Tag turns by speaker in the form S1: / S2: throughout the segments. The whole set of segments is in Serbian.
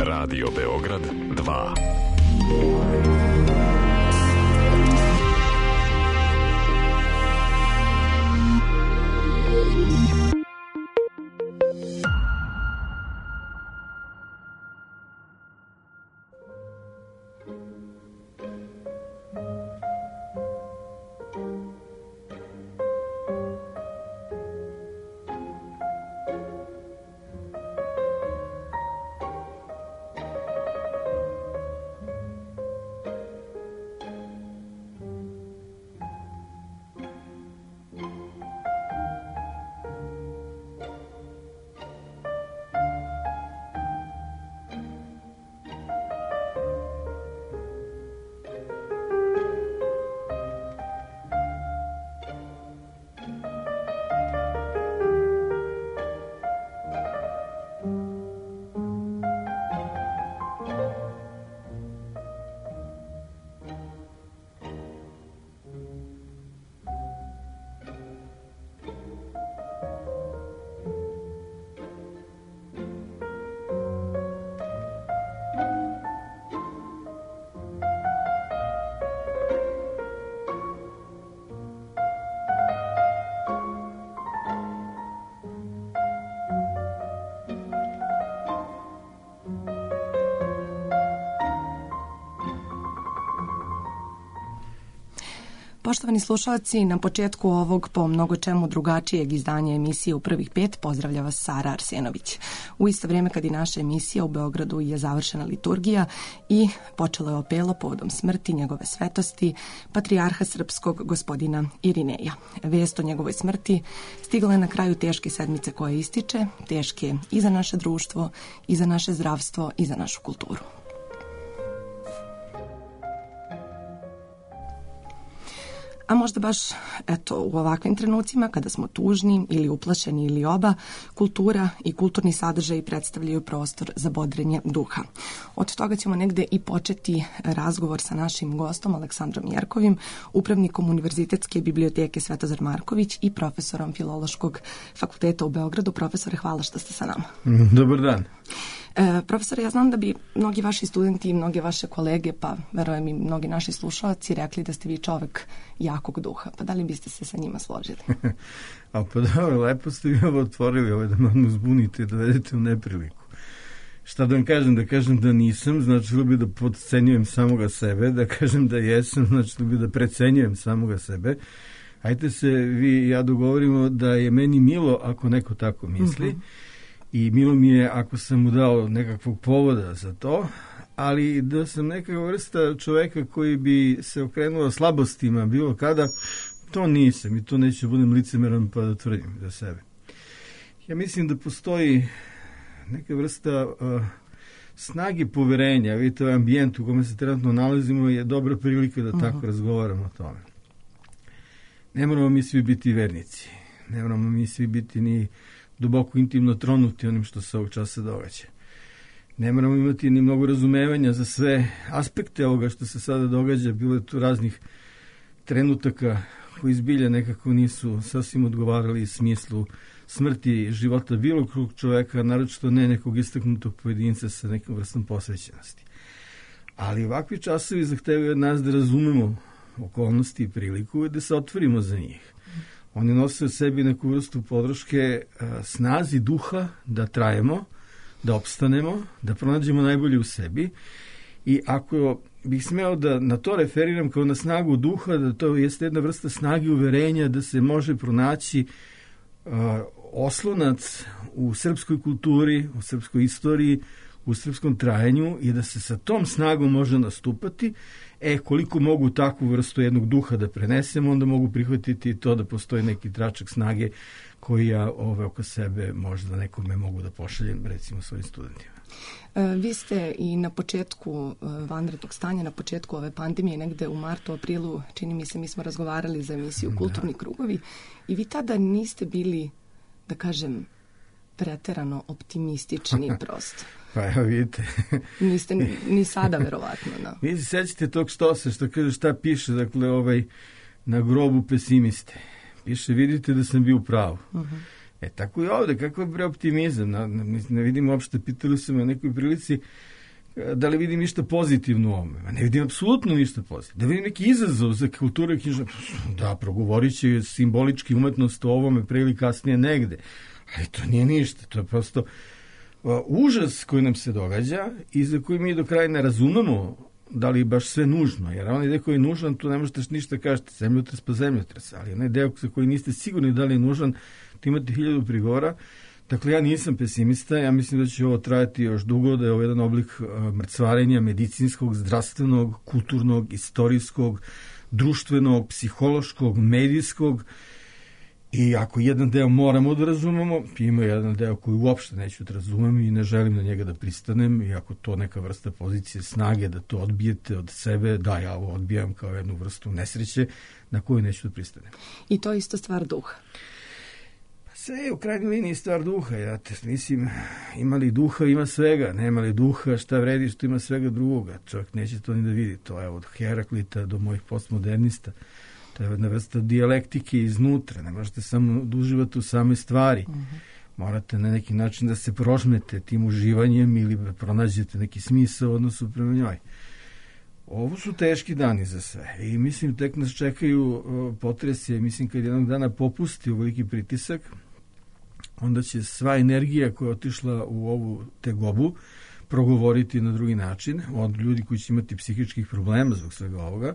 S1: Radio Beograd 2.
S2: Poštovani slušalci, na početku ovog po mnogo čemu drugačijeg izdanja emisije U prvih 5 pozdravlja vas Sara Arsenović. U isto vrijeme kad i naša emisija u Beogradu je završena liturgija i počelo je opelo povodom smrti njegove svetosti, patrijarha srpskog gospodina Irineja. Vest o njegovoj smrti stigla je na kraju teške sedmice koja ističe, teške i za naše društvo, i za naše zdravstvo, i za našu kulturu. A možda baš, u ovakvim trenucima, kada smo tužni ili uplašeni ili oba, kultura i kulturni sadržaji predstavljaju prostor za bodrenje duha. Od toga ćemo negde i početi razgovor sa našim gostom, Aleksandrom Jerkovim, upravnikom Univerzitetske biblioteke Svetozar Marković i profesorom Filološkog fakulteta u Beogradu. Profesore, hvala što ste sa nama.
S3: Dobar dan.
S2: Profesore, ja znam da bi mnogi vaši studenti i mnoge vaše kolege, pa verujem i mnogi naši slušalci, rekli da ste vi čovek jakog duha. Pa da li biste se sa njima složili?
S3: A pa dobro, lepo ste vi ovo otvorili, da me zbunite i da vedete u nepriliku. Šta da vam kažem? Da kažem da nisam, značilo bi da podcenjujem samoga sebe, da kažem da jesam, značilo bi da precenjujem samoga sebe. Ajde se vi i ja dogovorimo da je meni milo ako neko tako misli. I milo mi je ako sam mu dao nekakvog povoda za to, ali da sam nekakva vrsta čoveka koji bi se okrenuo slabostima bilo kada, to nisam i to neću budem licemeran pa da tvrdim za sebe. Ja mislim da postoji neka vrsta snage poverenja, vidite ovaj ambijent u kome se trenutno nalazimo je dobra prilika da tako razgovaramo o tome. Ne moramo mi svi biti vernici, ne moramo mi svi biti ni duboko intimno tronuti onim što se ovog časa događa. Ne moramo imati ni mnogo razumevanja za sve aspekte ovoga što se sada događa. Bilo je tu raznih trenutaka koji zbilja nekako nisu sasvim odgovarali smislu smrti i života bilo kog čoveka, naročito ne nekog istaknutog pojedinca sa nekom vrstom posvećenosti. Ali ovakvi časovi zahtevaju od nas da razumemo okolnosti i priliku i da se otvorimo za njih. Oni nose u sebi neku vrstu podrške snazi duha da trajemo, da opstanemo, da pronađemo najbolje u sebi. I ako bih smeo da na to referiram kao na snagu duha, da to jeste jedna vrsta snage uverenja da se može pronaći oslonac u srpskoj kulturi, u srpskoj istoriji, u srpskom trajanju i da se sa tom snagom može nastupati. Koliko mogu takvu vrstu jednog duha da prenesem, onda mogu prihvatiti to da postoji neki tračak snage koji ja oko sebe možda nekome mogu da pošaljem, recimo svojim studentima.
S2: Vi ste i na početku vanrednog stanja, na početku ove pandemije, negde u martu, aprilu, čini mi se, mi smo razgovarali za emisiju Kulturni krugovi i vi tada niste bili, da kažem, preterano optimistični prosto.
S3: Pa evo vidite.
S2: Niste ni sada verovatno. No.
S3: Vi se sećate tog štose što kaže šta piše, dakle na grobu pesimiste. Piše vidite da sam bio u pravu. Tako i ovde, kako je preoptimizam? Ne vidim uopšte, pitali su me na nekoj prilici da li vidim ništa pozitivno u ovome. Ne vidim apsolutno ništa pozitivno. Da vidim neki izazov za kulturu i književnost. Da, progovorit će simbolički umetnost o ovome pre ili kasnije negde. Ali to nije ništa. To je prosto užas koji nam se događa i za koji mi do kraja ne razumemo da li je baš sve nužno. Jer onaj deo koji je nužan, tu ne možete ništa kažete. Zemljotres pa zemljotres. Ali onaj deo za koji niste sigurni da li je nužan, tu imate 1000 prigovora. Dakle, ja nisam pesimista, ja mislim da će ovo trajati još dugo, da je ovo jedan oblik mrcvarenja medicinskog, zdravstvenog, kulturnog, istorijskog, društvenog, psihološkog, medijskog. I ako jedan deo moramo da razumemo, ima jedan deo koji uopšte neću da razumem i ne želim na njega da pristanem, i ako to neka vrsta pozicije snage da to odbijete od sebe, da, ja ovo odbijam kao jednu vrstu nesreće na koju neću da pristanem.
S2: I to je isto stvar duha.
S3: Sve je u krajnjoj liniji stvar duha, mislim, ima li duha, ima svega, nema li duha, šta vredi što ima svega drugoga, čovjek neće to ni da vidi, to je od Heraklita do mojih postmodernista, to je jedna vrsta dijalektike iznutra, ne možete samo da uživate u same stvari, morate na neki način da se prožmete tim uživanjem ili da pronađete neki smisao u odnosu prema njoj. Ovo su teški dani za sve i mislim tek nas čekaju potresi, mislim kad jednog dana popusti veliki pritisak, onda će sva energija koja je otišla u ovu tegobu progovoriti na drugi način, od ljudi koji će imati psihičkih problema zbog svega ovoga,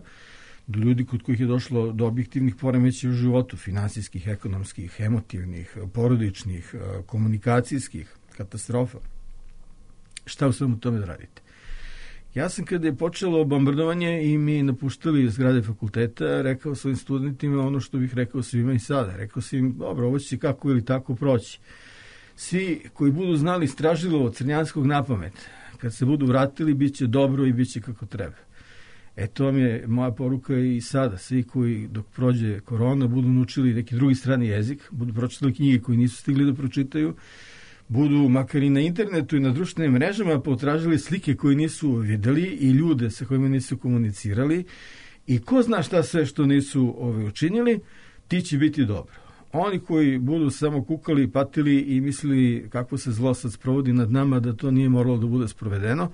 S3: do ljudi kod kojih je došlo do objektivnih poremećaja u životu, finansijskih, ekonomskih, emotivnih, porodičnih, komunikacijskih, katastrofa. Šta u svemu tome da radite? Ja sam kada je počelo bombardovanje i mi napuštali zgrade fakulteta, rekao svojim studentima ono što bih rekao svima i sada. Rekao sam im, dobro, ovo će kako ili tako proći. Svi koji budu znali Stražilovo Crnjanskog napamet, kad se budu vratili, bit će dobro i bit će kako treba. To vam je moja poruka i sada. Svi koji dok prođe korona budu naučili neki drugi strani jezik, budu pročitali knjige koji nisu stigli da pročitaju, budu makar i na internetu i na društvenim mrežama potražili slike koje nisu videli i ljude sa kojima nisu komunicirali i ko zna šta sve što nisu učinili, ti će biti dobro. Oni koji budu samo kukali, patili i mislili kako se zlo sad sprovodi nad nama, da to nije moralo da bude sprovedeno,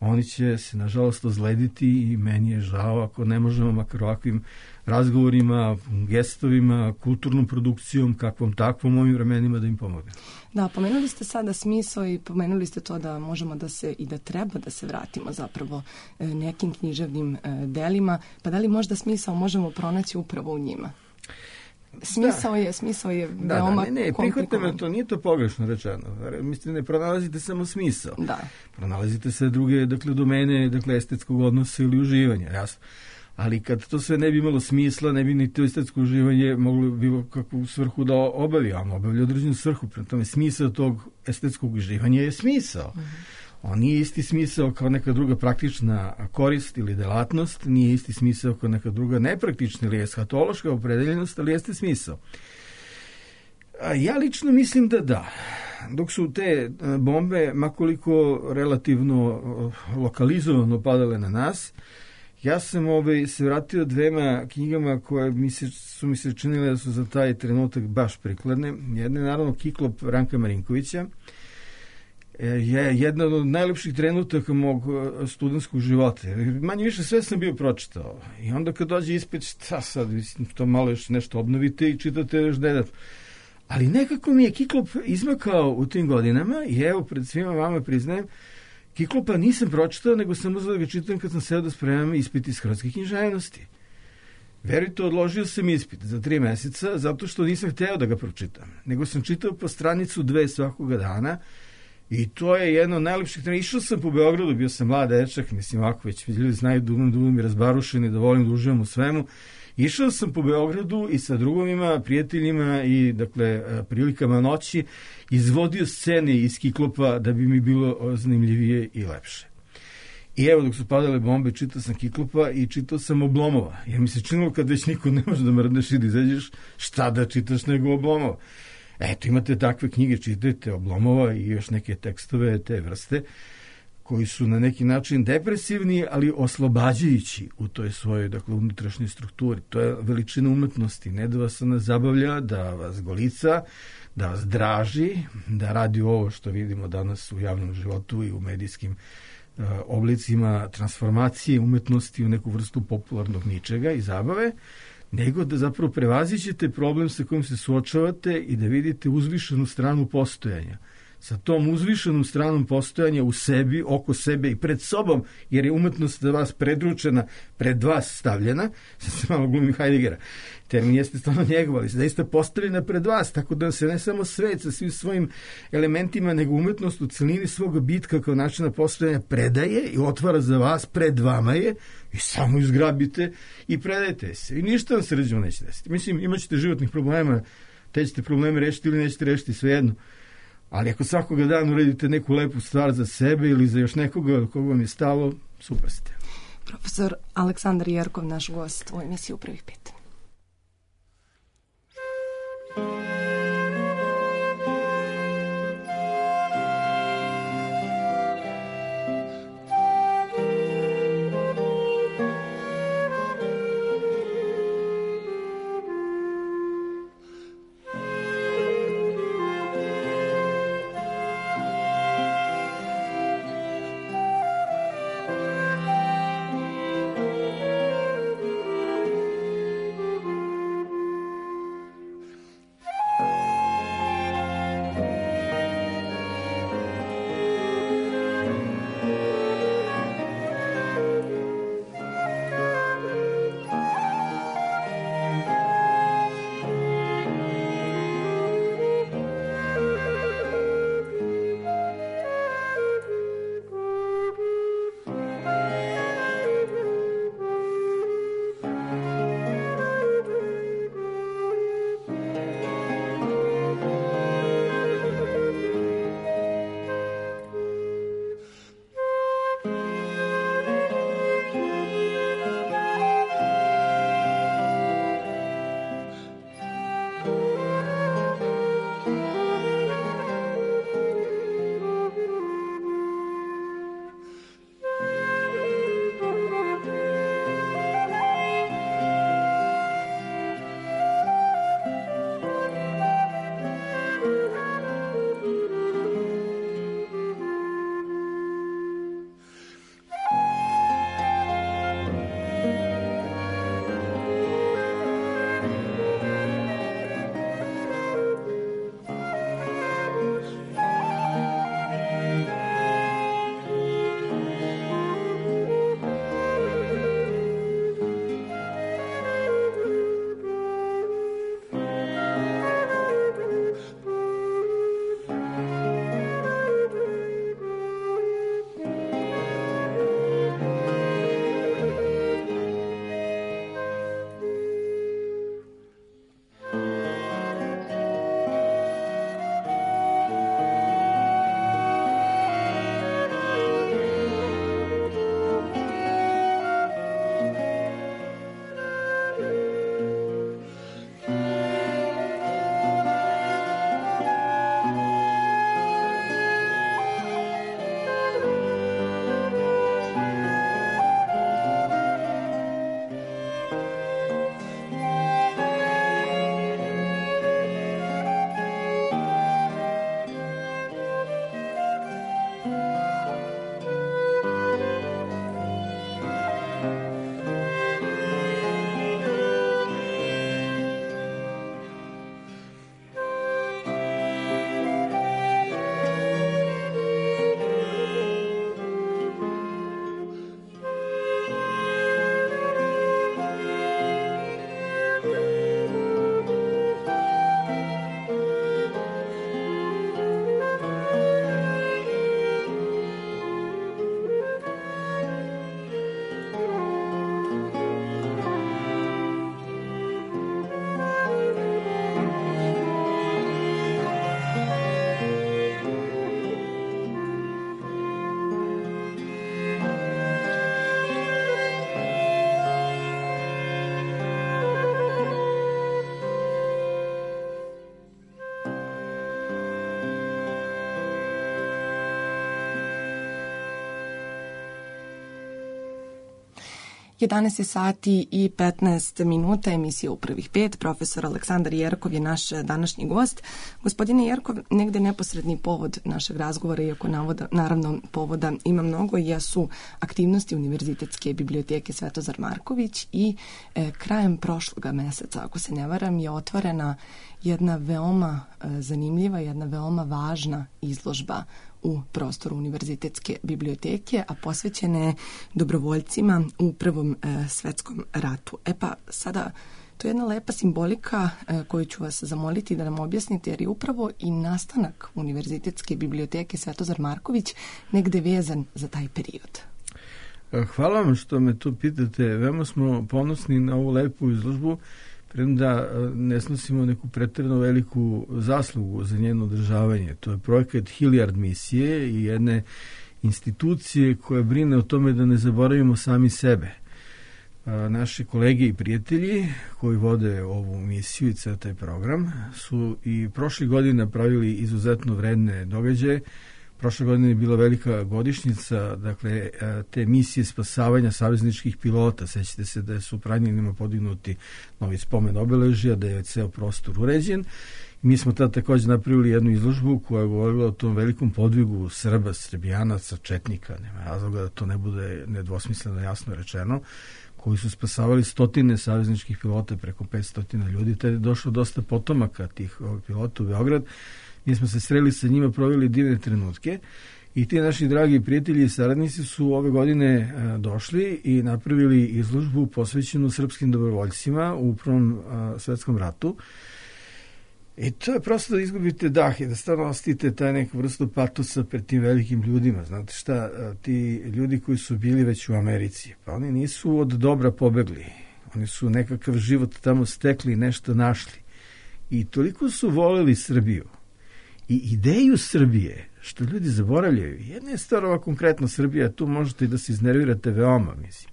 S3: oni će se nažalost ozlediti i meni je žao ako ne možemo makar ovakvim razgovorima, gestovima, kulturnom produkcijom, kakvom takvom ovim vremenima da im pomogne.
S2: Da, pomenuli ste sada smisao i pomenuli ste to da možemo da se i da treba da se vratimo zapravo nekim književnim delima, pa da li možda smisao možemo pronaći upravo u njima? Smisao je veoma komplikovan.
S3: Prihvatam, to nije to pogrešno rečeno. Mislim, ne pronalazite samo smisao.
S2: Da.
S3: Pronalazite sve druge, domene, estetskog odnosa ili uživanja, jasno. Ali kad to sve ne bi imalo smisla, ne bi ni to estetsko uživanje moglo bilo kakvu svrhu da obavi, a ono obavlja određenu svrhu. Prema tome, smisao tog estetskog uživanja je smisao. On nije isti smisao kao neka druga praktična korist ili delatnost, nije isti smisao kao neka druga nepraktična ili eshatološka opredeljenost, ali jeste smisao. Ja lično mislim da. Dok su te bombe, makoliko relativno lokalizovano padale na nas, ja sam se vratio dvema knjigama koje su mi se činile da su za taj trenutak baš prikladne. Jedna je naravno Kiklop Ranka Marinkovića, je jedna od najlepših trenutaka mog studentskog života. Manje više sve sam bio pročitao. I onda kad dođe ispit, šta sad, to malo još nešto obnovite i čitate još dedat. Ali nekako mi je Kiklop izmakao u tim godinama i evo pred svima vama priznajem, Kiklopa nisam pročitao, nego sam uzeo da ga čitam kad sam seo da spremam ispit iz hrvatske književnosti. Verujte, odložio sam ispit za 3 meseca zato što nisam hteo da ga pročitam. Nego sam čitao po stranicu 2 svakoga dana i to je jedno od najlepših trenutka. Išao sam po Beogradu, bio sam mlad dečak, mislim ovako već ljudi znaju da budem razbarušen i da volim da uživam u svemu. Išao sam po Beogradu i sa drugovima, prijateljima i prilikama noći izvodio scene iz Kiklopa da bi mi bilo zanimljivije i lepše. I evo dok su padale bombe, čitao sam Kiklopa i čitao sam Oblomova. Jer mi se činilo kad već niko ne može da mrdneš i da izađeš, šta da čitaš nego Oblomova. Eto, imate takve knjige, čitajte Oblomova i još neke tekstove te vrste koji su na neki način depresivni, ali oslobađajući u toj svojoj, dakle, unutrašnjoj strukturi. To je veličina umetnosti, ne da vas ona zabavlja, da vas golica, da vas draži, da radi ovo što vidimo danas u javnom životu i u medijskim oblicima transformacije umetnosti u neku vrstu popularnog ničega i zabave, nego da zapravo prevazićete problem sa kojim se suočavate i da vidite uzvišenu stranu postojanja. Sa tom uzvišenom stranom postojanja u sebi, oko sebe i pred sobom, jer je umetnost za vas predručena, pred vas stavljena, sad se malo glumim Heideggera, termin jeste stvarno njegov, ali se zaista postavljena pred vas, tako da se ne samo svet sa svim svojim elementima, nego umetnost u celini svog bitka kao načina postojanja predaje i otvara za vas, pred vama je, i samo izgrabite i predajte se. I ništa vam se ređemo neće desiti. Mislim, imat ćete životnih problema, te ćete probleme rešiti ili nećete rešiti, svejedno. Ali ako svakoga dana uredite neku lepu stvar za sebe ili za još nekoga koga vam je stalo, super ste.
S2: Profesor Aleksandar Jerkov, naš gost u emisiji U prvih 5. 11 je sati i 15 minuta, emisija u prvih 5. Profesor Aleksandar Jerkov je naš današnji gost. Gospodine Jerkov, negde neposredni povod našeg razgovora, iako naravno povoda ima mnogo, jesu aktivnosti Univerzitetske biblioteke Svetozar Marković i krajem prošloga meseca, ako se ne varam, je otvorena jedna veoma zanimljiva, jedna veoma važna izložba u prostoru Univerzitetske biblioteke, a posvećene je dobrovoljcima u Prvom svetskom ratu. Pa sada, to je jedna lepa simbolika koju ću vas zamoliti da nam objasnite, jer je upravo i nastanak Univerzitetske biblioteke Svetozar Marković negde vezan za taj period.
S3: Hvala vam što me to pitate. Veoma smo ponosni na ovu lepu izložbu, premda ne snosimo neku pretjerano veliku zaslugu za njeno održavanje. To je projekat Hilliard misije i jedne institucije koja brine o tome da ne zaboravimo sami sebe. Naši kolege i prijatelji koji vode ovu misiju i ceo taj program su i prošle godine napravili izuzetno vredne događaje. Prošle godine je bila velika godišnjica, dakle, te misije spasavanja savezničkih pilota. Sećate se da su Pranjanima podignuti novi spomen obeležja, da je ceo prostor uređen. Mi smo tada također napravili jednu izložbu koja je govorila o tom velikom podvigu Srba, Srbijanaca, Četnika, nema razloga da to ne bude nedvosmisleno jasno rečeno, koji su spasavali stotine savezničkih pilota, preko 500 ljudi. Tada je došlo dosta potomaka tih pilota u Beograd. Mi smo se sreli sa njima, proveli divne trenutke i ti naši dragi prijatelji i saradnici su ove godine došli i napravili izložbu posvećenu srpskim dobrovoljcima u Prvom svetskom ratu. I to je prosto da izgubite dah i da stvarno ostite taj neku vrstu patosa pred tim velikim ljudima. Znate šta, ti ljudi koji su bili već u Americi, pa oni nisu od dobra pobegli. Oni su nekakav život tamo stekli, nešto našli. I toliko su voleli Srbiju i ideju Srbije, što ljudi zaboravljaju. Jedna je stvar ova konkretno Srbija, tu možete i da se iznervirate veoma, mislim.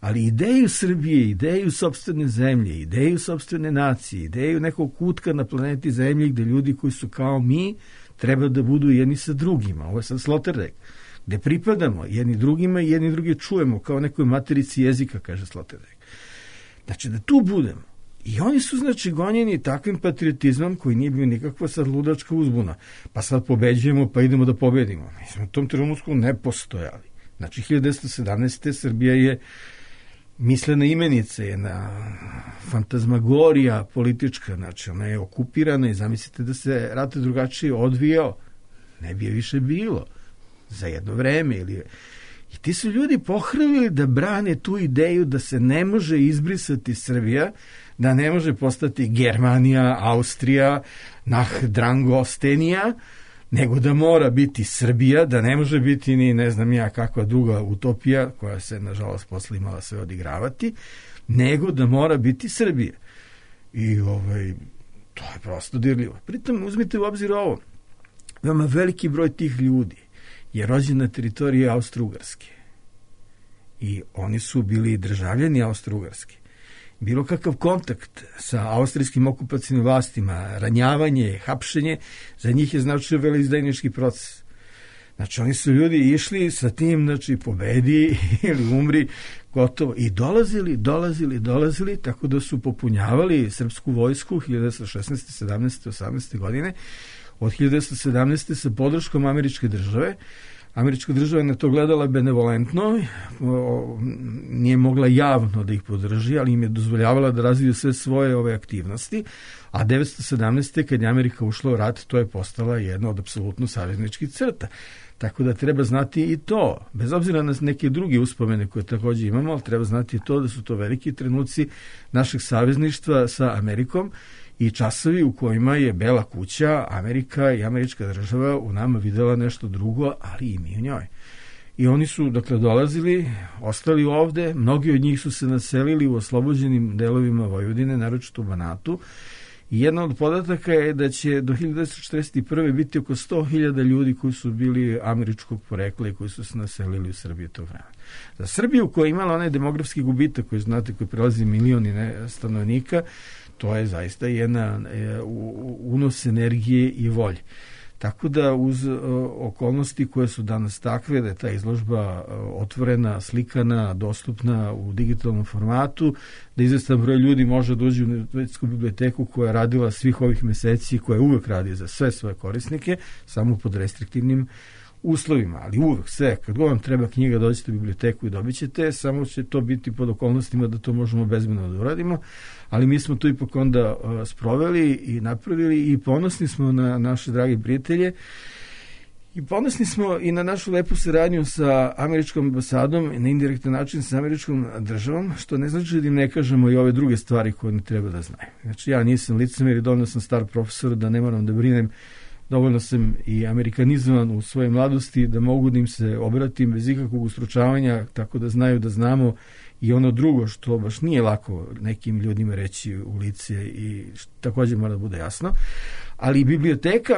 S3: Ali ideju Srbije, ideju sopstvene zemlje, ideju sopstvene nacije, ideju nekog kutka na planeti Zemlji gde ljudi koji su kao mi treba da budu jedni sa drugima. Ovo je sad Sloterdijk, gde pripadamo jedni drugima i jedni drugi čujemo kao nekoj materici jezika, kaže Sloterdijk. Znači da tu budemo. I oni su, znači, gonjeni takvim patriotizmom koji nije bio nikakva sad ludačka uzbuna. Pa sad pobeđujemo, pa idemo da pobedimo. Mi smo u tom trenutku ne postojali. Znači, 1917. Srbija je mislena imenica, jedna fantazmagorija politička, znači ona je okupirana i zamislite da se rat drugačije odvijao, ne bi je više bilo za jedno vreme. I ti su ljudi pohrlili da brane tu ideju da se ne može izbrisati Srbija, da ne može postati Germanija, Austrija, Drangostenija, nego da mora biti Srbija, da ne može biti ni ne znam ja kakva druga utopija, koja se nažalost posle imala sve odigravati, nego da mora biti Srbija. I to je prosto dirljivo. Pritom uzmite u obzir ovo, veoma veliki broj tih ljudi je rođen na teritoriji Austro-Ugarske. I oni su bili državljani Austro-Ugarske. Bilo kakav kontakt sa austrijskim okupacijnim vlastima, ranjavanje, hapšenje, za njih je značio veleizdajnički proces. Znači, oni su ljudi išli sa tim, znači, pobedi ili umri, gotovo. I dolazili, tako da su popunjavali srpsku vojsku 1916. 17. 18. godine. Od 1917. sa podrškom američke države. Američka država je na to gledala benevolentno, nije mogla javno da ih podrži, ali im je dozvoljavala da razviju sve svoje ove aktivnosti, a 1917. kad je Amerika ušla u rat, to je postala jedna od apsolutno savezničkih crta. Tako da treba znati i to, bez obzira na neke druge uspomene koje također imamo, ali treba znati i to da su to veliki trenuci našeg savezništva sa Amerikom i časovi u kojima je Bela kuća, Amerika i američka država u nama videla nešto drugo, ali i mi u njoj. I oni su, dakle, dolazili, ostali ovde, mnogi od njih su se naselili u oslobođenim delovima Vojvodine, naročito u Banatu. I jedna od podataka je da će do 1941. biti oko 100.000 ljudi koji su bili američkog porekla i koji su se naselili u Srbiji tog vremena. Za Srbiju koja je imala onaj demografski gubitak koji znate, koji prelazi milioni stanovnika, to je zaista jedna unos energije i volje. Tako da uz okolnosti koje su danas takve, da je ta izložba otvorena, slikana, dostupna u digitalnom formatu, da izvestan broj ljudi može da uđe u Univerzitetsku biblioteku koja je radila svih ovih meseci, koja uvek radi za sve svoje korisnike, samo pod restriktivnim uslovima, ali uvek sve, kad god vam treba knjiga, dođete u biblioteku i dobit ćete, samo će to biti pod okolnostima da to možemo bezbedno da uradimo, ali mi smo to ipak onda sproveli i napravili i ponosni smo na naše dragi prijatelje i ponosni smo i na našu lepu saradnju sa američkom ambasadom i na indirektan način sa američkom državom, što ne znači da im ne kažemo i ove druge stvari koje ne treba da znaju. Znači, ja nisam licemer i dovoljno sam star profesor da ne moram da brinem, dovoljno sam i amerikanizovan u svojoj mladosti da mogu da im se obratim bez ikakvog ustručavanja, tako da znaju da znamo i ono drugo što baš nije lako nekim ljudima reći u lice i također mora da bude jasno. Ali biblioteka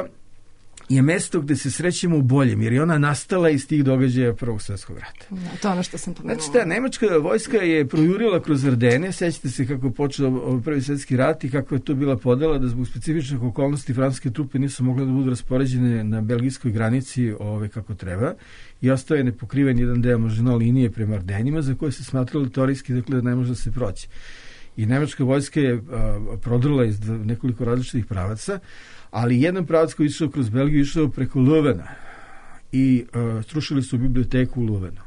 S3: je mesto gde se srećemo u boljem, jer je ona nastala iz tih događaja Prvog svjetskog rata.
S2: Da, to je ono što sam pomenula.
S3: Znači, ta nemačka vojska je projurila kroz Ardene, sećate se kako je počeo Prvi svjetski rat i kako je to bila podela, da zbog specifičnih okolnosti francuske trupe nisu mogle da budu raspoređene na belgijskoj granici kako treba i ostao je nepokriven jedan deo Maginot linije prema Ardenima, za koje se smatralo teorijski da ne može da se proći. I nemačka vojska je prodrla iz nekoliko različitih pravaca, ali jedan pravac koji je išao kroz Belgiju išao preko Leuvena i srušili su biblioteku u Leuvenu.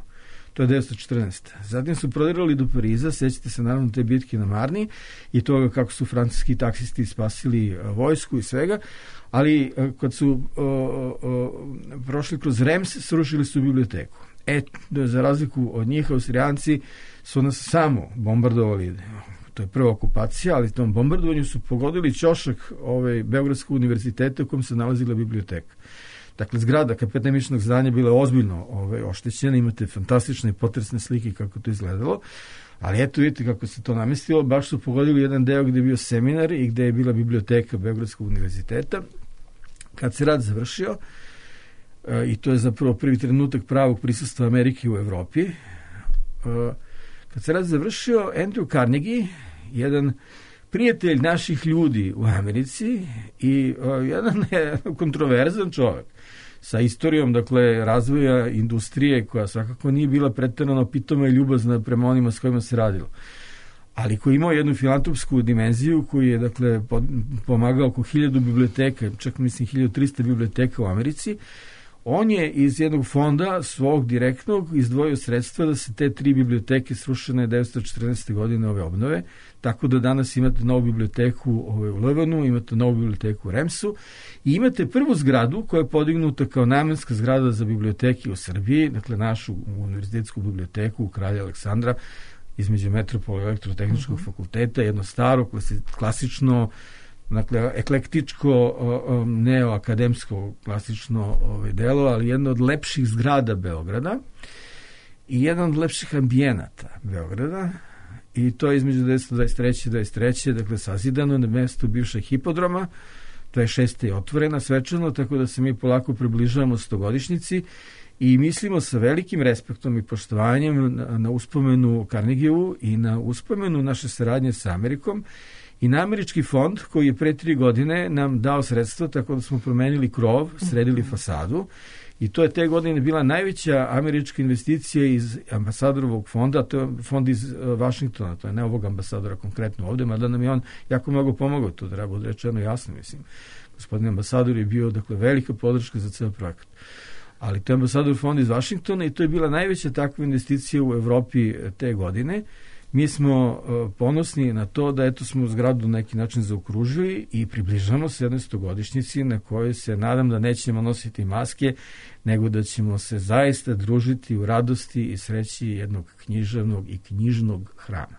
S3: To je 1914. Zatim su prodirali do Pariza, sećate se naravno te bitke na Marni i toga kako su francuski taksisti spasili vojsku i svega, ali kad su prošli kroz Rems, srušili su biblioteku. Za razliku od njih, Austrijanci su nas samo bombardovali. To je prva okupacija, ali tom bombardovanju su pogodili ćošak Beogradskog univerziteta u kojem se nalazila biblioteka. Dakle, zgrada akademičnog zdanja bila ozbiljno oštećena, imate fantastične i potresne slike kako to izgledalo, ali eto vidite kako se to namestilo, baš su pogodili jedan deo gde je bio seminar i gde je bila biblioteka Beogradskog univerziteta. Kad se rat završio, i to je zapravo prvi trenutak pravog prisustva Amerike u Evropi, kad se rat završio, Andrew Carnegie, jedan prijatelj naših ljudi u Americi i jedan kontroverzan čovjek sa istorijom, dakle, razvoja industrije koja svakako nije bila preterano pitoma i ljubazna prema onima s kojima se radilo, ali koji imao jednu filantropsku dimenziju, koji je, dakle, pomagao oko 1000 biblioteka, čak mislim 1300 biblioteka u Americi. On je iz jednog fonda svog direktnog izdvojio sredstva da se te 3 biblioteke srušene 1914. godine obnove, tako da danas imate novu biblioteku u Leuvenu, imate novu biblioteku u Remsu i imate prvu zgradu koja je podignuta kao namenska zgrada za biblioteke u Srbiji, dakle našu univerzitetsku biblioteku Kralja Aleksandra, između Metropola i Elektrotehničkog fakulteta, jedno staro, klasično, dakle, eklektičko, neoakademsko klasično delo, ali jedno od lepših zgrada Beograda i jedan od lepših ambijenata Beograda i to je između 1923. i 1923. dakle, sazidano na mestu bivšeg hipodroma, 26. je otvorena svečano, tako da se mi polako približavamo 100-godišnjici i mislimo sa velikim respektom i poštovanjem na uspomenu Carnegievu i na uspomenu naše saradnje sa Amerikom i na američki fond koji je pre 3 godine nam dao sredstva, tako da smo promenili krov, sredili fasadu i to je te godine bila najveća američka investicija iz ambasadorovog fonda, to je fond iz Vašingtona, to je ne ovog ambasadora konkretno ovde, mada nam je on jako mnogo pomogao, to treba bude rečeno jasno, mislim. Gospodin ambasador je bio, dakle, velika podrška za ceo projekat. Ali to je ambasador fond iz Vašingtona i to je bila najveća takva investicija u Evropi te godine. Mi smo ponosni na to da eto smo zgradu na neki način zaokružili i približamo se 100-godišnjici na kojoj se nadam da nećemo nositi maske, nego da ćemo se zaista družiti u radosti i sreći jednog književnog i knjižnog hrama.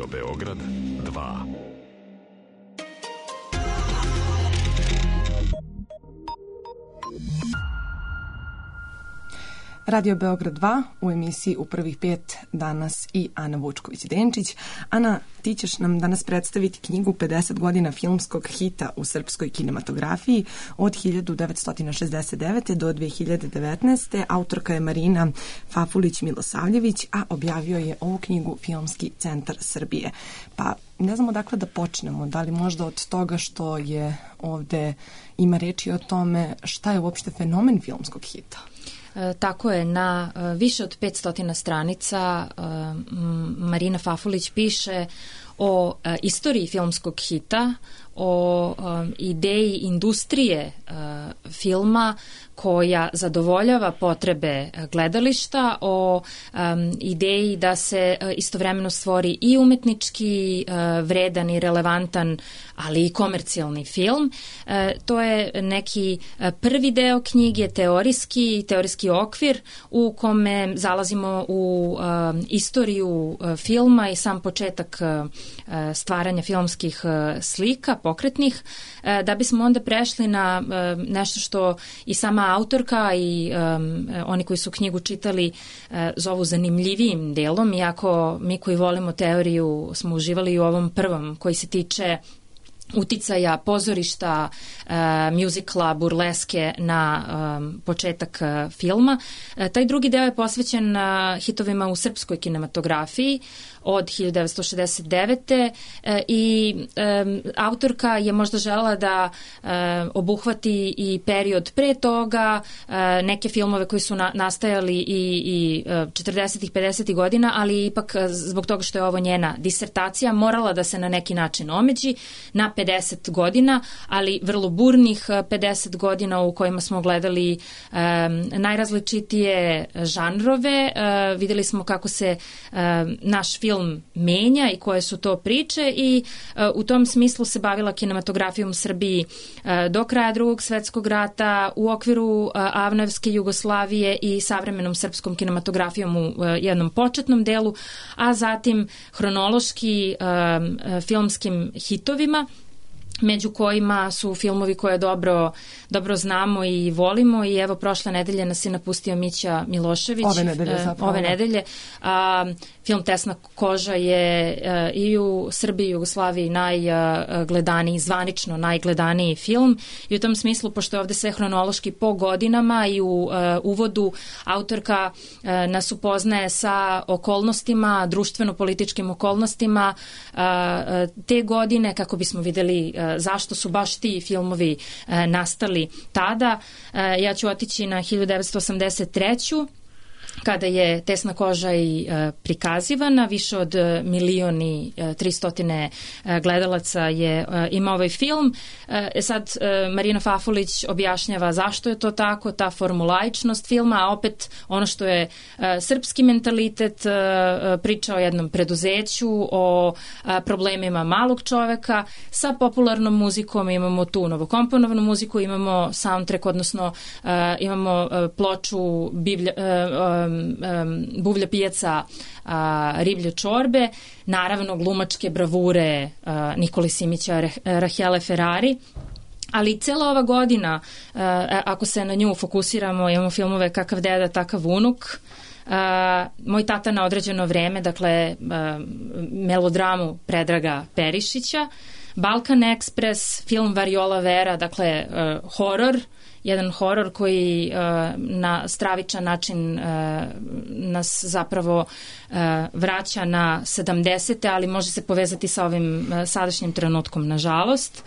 S1: Radio Beograd 2.
S2: Radio Beograd 2 u emisiji U prvih 5 danas i Ana Vučković-Denčić. Ana, ti ćeš nam danas predstaviti knjigu 50 godina filmskog hita u srpskoj kinematografiji od 1969. do 2019. Autorka je Marina Fafulić-Milosavljević, a objavio je ovu knjigu Filmski centar Srbije. Pa ne znamo dakle da počnemo, da li možda od toga što je ovde ima reči o tome šta je uopšte fenomen filmskog hita.
S4: Tako je, na više od 500 stranica Marina Fafulić piše o istoriji filmskog hita, o ideji industrije filma koja zadovoljava potrebe gledališta, o ideji da se istovremeno stvori i umetnički vredan i relevantan, ali i komercijalni film. To je neki prvi deo knjige, teorijski okvir u kome zalazimo u istoriju filma i sam početak stvaranja filmskih slika, pokretnih, da bismo onda prešli na nešto što i sama autorka i oni koji su knjigu čitali zovu zanimljivijim delom, iako mi koji volimo teoriju smo uživali u ovom prvom koji se tiče uticaja pozorišta, mjuzikla, burleske na početak filma. Taj drugi deo je posvećen hitovima u srpskoj kinematografiji od 1969. I autorka je možda želela da obuhvati i period pre toga, neke filmove koji su nastajali i 40-ih, 50-ih godina, ali ipak zbog toga što je ovo njena disertacija morala da se na neki način omeđi na 50 godina, ali vrlo burnih 50 godina u kojima smo gledali najrazličitije žanrove. Videli smo kako se naš film menja i koje su to priče i u tom smislu se bavila kinematografijom u Srbiji do kraja Drugog svetskog rata u okviru Avnojevske Jugoslavije i savremenom srpskom kinematografijom u jednom početnom delu, a zatim hronološki filmskim hitovima, među kojima su filmovi koje dobro znamo i volimo i evo prošle nedelje nas je napustio Mića Milošević. Ove nedelje. Film Tesna koža je i u Srbiji i Jugoslaviji najgledaniji, zvanično najgledaniji film i u tom smislu, pošto je ovde sve hronološki po godinama i u uvodu autorka nas upoznaje sa okolnostima, društveno-političkim okolnostima te godine, kako bismo videli zašto su baš ti filmovi nastali tada. Ja ću otići na 1983. kada je Tesna koža i prikazivana, više od 1.300.000 gledalaca je ima ovaj film. Sad Marina Fafulić objašnjava zašto je to tako, ta formulaičnost filma, a opet ono što je srpski mentalitet, priča o jednom preduzeću, o problemima malog čoveka. Sa popularnom muzikom imamo tu novokomponovanu muziku, imamo soundtrack, odnosno imamo ploču Buvlja pijaca riblje čorbe, naravno glumačke bravure Nikole Simića, Rahele Ferrari. Ali cela ova godina, ako se na nju fokusiramo, imamo filmove Kakav deda, takav unuk, Moj tata na određeno vreme, dakle melodramu Predraga Perišića, Balkan Express, film Variola Vera, dakle horor, jedan horor koji na stravičan način nas zapravo vraća na 70. ali može se povezati sa ovim sadašnjim trenutkom, nažalost.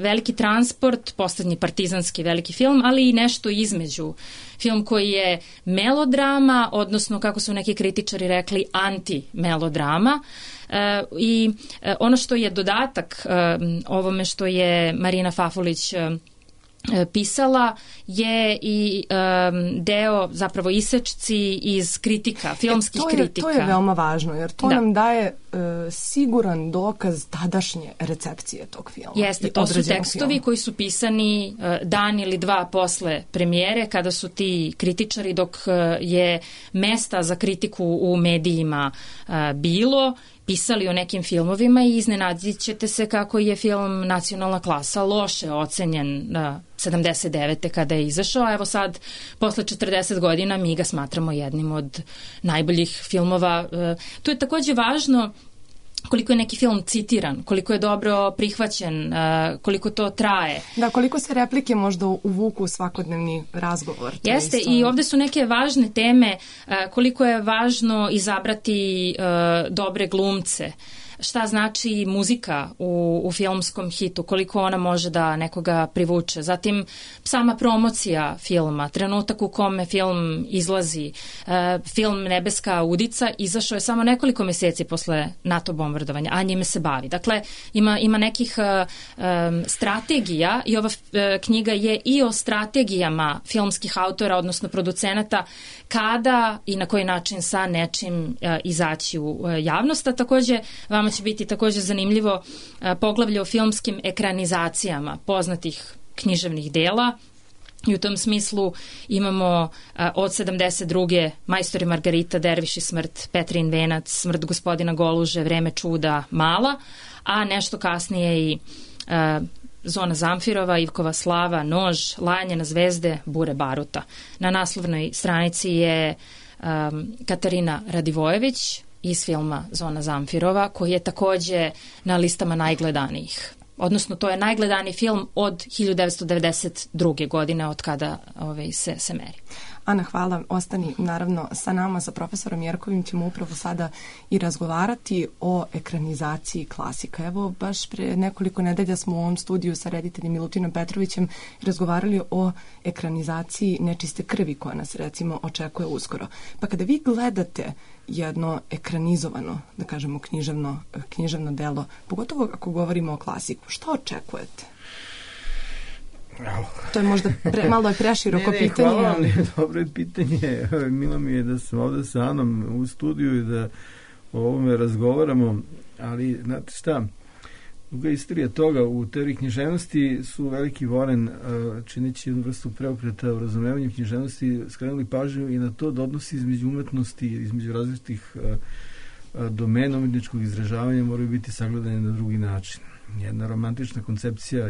S4: Veliki transport, poslednji partizanski veliki film, ali i nešto između. Film koji je melodrama, odnosno, kako su neki kritičari rekli, anti-melodrama. I ono što je dodatak ovome što je Marina Fafulić pisala je i deo, zapravo isečci iz kritika, filmskih kritika.
S2: To je veoma važno, jer to nam daje siguran dokaz tadašnje recepcije tog filma.
S4: Jeste, to su tekstovi koji su pisani dan ili dva posle premijere, kada su ti kritičari, dok je mesta za kritiku u medijima bilo, pisali o nekim filmovima i iznenadit ćete se kako je film Nacionalna klasa loše ocenjen 79. kada je izašao, a evo sad, posle 40 godina, mi ga smatramo jednim od najboljih filmova. Tu je takođe važno koliko je neki film citiran, koliko je dobro prihvaćen, koliko to traje.
S2: Da, koliko se replike možda uvuku u svakodnevni razgovor.
S4: Jeste, i ovde su neke važne teme, koliko je važno izabrati dobre glumce, šta znači muzika u filmskom hitu, koliko ona može da nekoga privuče. Zatim sama promocija filma, trenutak u kome film izlazi. Film Nebeska udica izašao je samo nekoliko meseci posle NATO bombardovanja, a njime se bavi. Dakle, ima nekih strategija i ova knjiga je i o strategijama filmskih autora, odnosno producenata, kada i na koji način sa nečim izaći u javnost, a takođe vama će biti takođe zanimljivo poglavlje o filmskim ekranizacijama poznatih književnih dela i u tom smislu imamo od 72. Majstor i Margarita, Derviš i smrt, Petrin venac, Smrt gospodina Goluže, Vreme čuda, Mala, a nešto kasnije i Zona Zamfirova, Ivkova slava, Nož, Lajanje na zvezde, Bure baruta. Na naslovnoj stranici je Katarina Radivojević iz filma Zona Zamfirova, koji je takođe na listama najgledanijih. Odnosno, to je najgledaniji film od 1992. godine, od kada se meri.
S2: Ana, hvala. Ostani naravno sa nama, sa profesorom Jerkovim ćemo upravo sada i razgovarati o ekranizaciji klasika. Evo, baš pre nekoliko nedelja smo u ovom studiju sa rediteljem Milutinom Petrovićem razgovarali o ekranizaciji Nečiste krvi koja nas recimo očekuje uskoro. Pa kada vi gledate jedno ekranizovano, da kažemo književno delo, pogotovo ako govorimo o klasiku, šta očekujete? To je možda malo je preširoko pitanje.
S3: Hvala vam, dobro je pitanje. Milo mi je da sam ovde sa Anom u studiju i da o ovome razgovaramo, ali znate šta, duga istorija toga u teoriji književnosti su veliki Voren, čineći jednu vrstu preokreta u razumevanju književnosti, skrenuli pažnju i na to da odnosi između umetnosti, između različitih domena umetničkog izražavanja moraju biti sagledane na drugi način. Jedna romantična koncepcija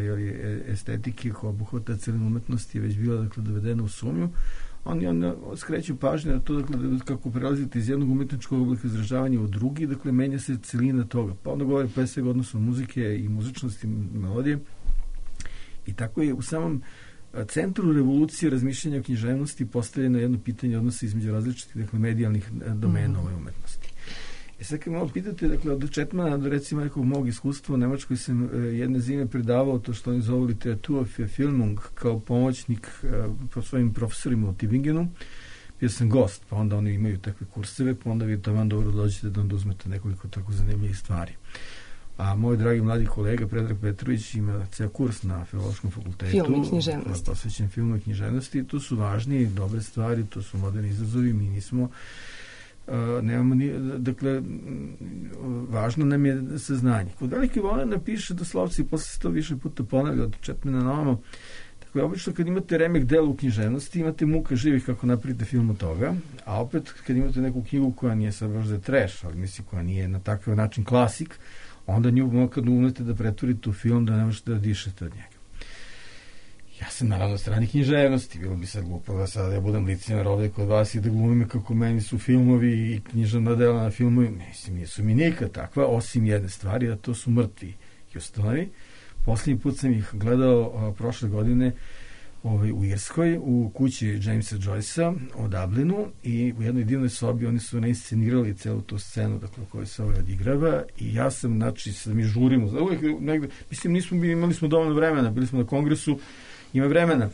S3: estetike koja obuhvata celinu umetnosti je već bila dovedena u sumnju. Oni skreću pažnju na to kako prelazite iz jednog umetničkog oblika izražavanja u drugi, dakle menja se celina toga. Pa onda govori pre svega odnosno muzike i muzičnosti i melodije. I tako je u samom centru revolucije razmišljanja o književnosti postavljeno jedno pitanje odnosa između različitih medijalnih domena ove umetnosti. Sad kad malo pitate, dakle, od Četmana do recimo nekog mog iskustva u Nemačkoj sam jedne zime predavao to što oni zovu literatura für Filmung kao pomoćnik po svojim profesorima u Tübingenu. Bio sam gost, pa onda oni imaju takve kurseve, pa onda vi tamo dobro dođete da onda uzmete nekoliko tako zanimljivih stvari. A moj dragi mladi kolega Predrag Petrović ima ceo kurs na Filološkom fakultetu.
S2: Film i književnosti.
S3: Posvećen filmu i književnosti. To su važni, dobre stvari, to su moderni izazovi, mi nismo nemamo ni, dakle, važno nam je saznanje. Kod velike Volena piše doslovci, posle se to više puta ponavlja od Četmana na ovamo. Dakle, obično kad imate remek dela u književnosti, imate muka živih kako napravite film od toga, a opet kad imate neku knjigu koja nije sad baš za trash, ali mislim koja nije na takav način klasik, onda nju kad umete da pretvorite u film da ne možete da dišete od njega. Ja sam naravno strani književnosti, bilo bi sad glupo da sada ja budem licemjer ovde kod vas i da glumim kako meni su filmovi i književna dela na filmovi, mislim, nisu mi nikad takva, osim jedne stvari, a to su Mrtvi Houstonovi. Poslednji put sam ih gledao prošle godine u Irskoj, u kući Jamesa Joycea u Dublinu i u jednoj divnoj sobi oni su nainscenirali celu tu scenu dakle, koju se odigrava i ja sam, znači, sad mi žurimo, uvijek negde, mislim, imali smo dovoljno vremena, bili smo na kongresu, ima vremena,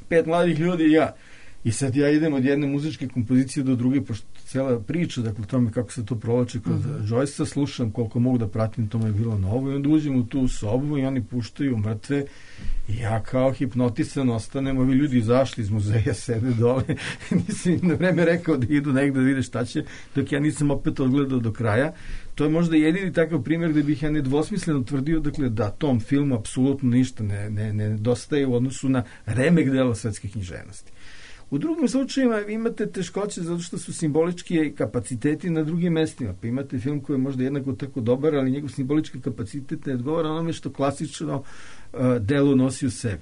S3: 5 mladih ljudi i ja. I sad ja idem od jedne muzičke kompozicije do druge, pošto cela priča, dakle, tome kako se to provlači kod Joycea, slušam koliko mogu da pratim, to mi je bilo novo i onda uđem u tu sobu i oni puštaju Mrtve i ja kao hipnotisan ostanem, ovi ljudi izašli iz muzeja, sede dole, nisam im na vreme rekao da idu negde da vide šta će, dok ja nisam opet odgledao do kraja. To je možda jedini takav primjer gde bih ja nedvosmisleno tvrdio, dakle, da tom filmu apsolutno ništa ne dostaje u odnosu na remek dela svetske književnosti. U drugim slučajima imate teškoće zato što su simbolički kapaciteti na drugim mestima. Pa imate film koji je možda jednako tako dobar, ali njegov simbolički kapacitet ne odgovara onome što klasično delo nosi u sebi.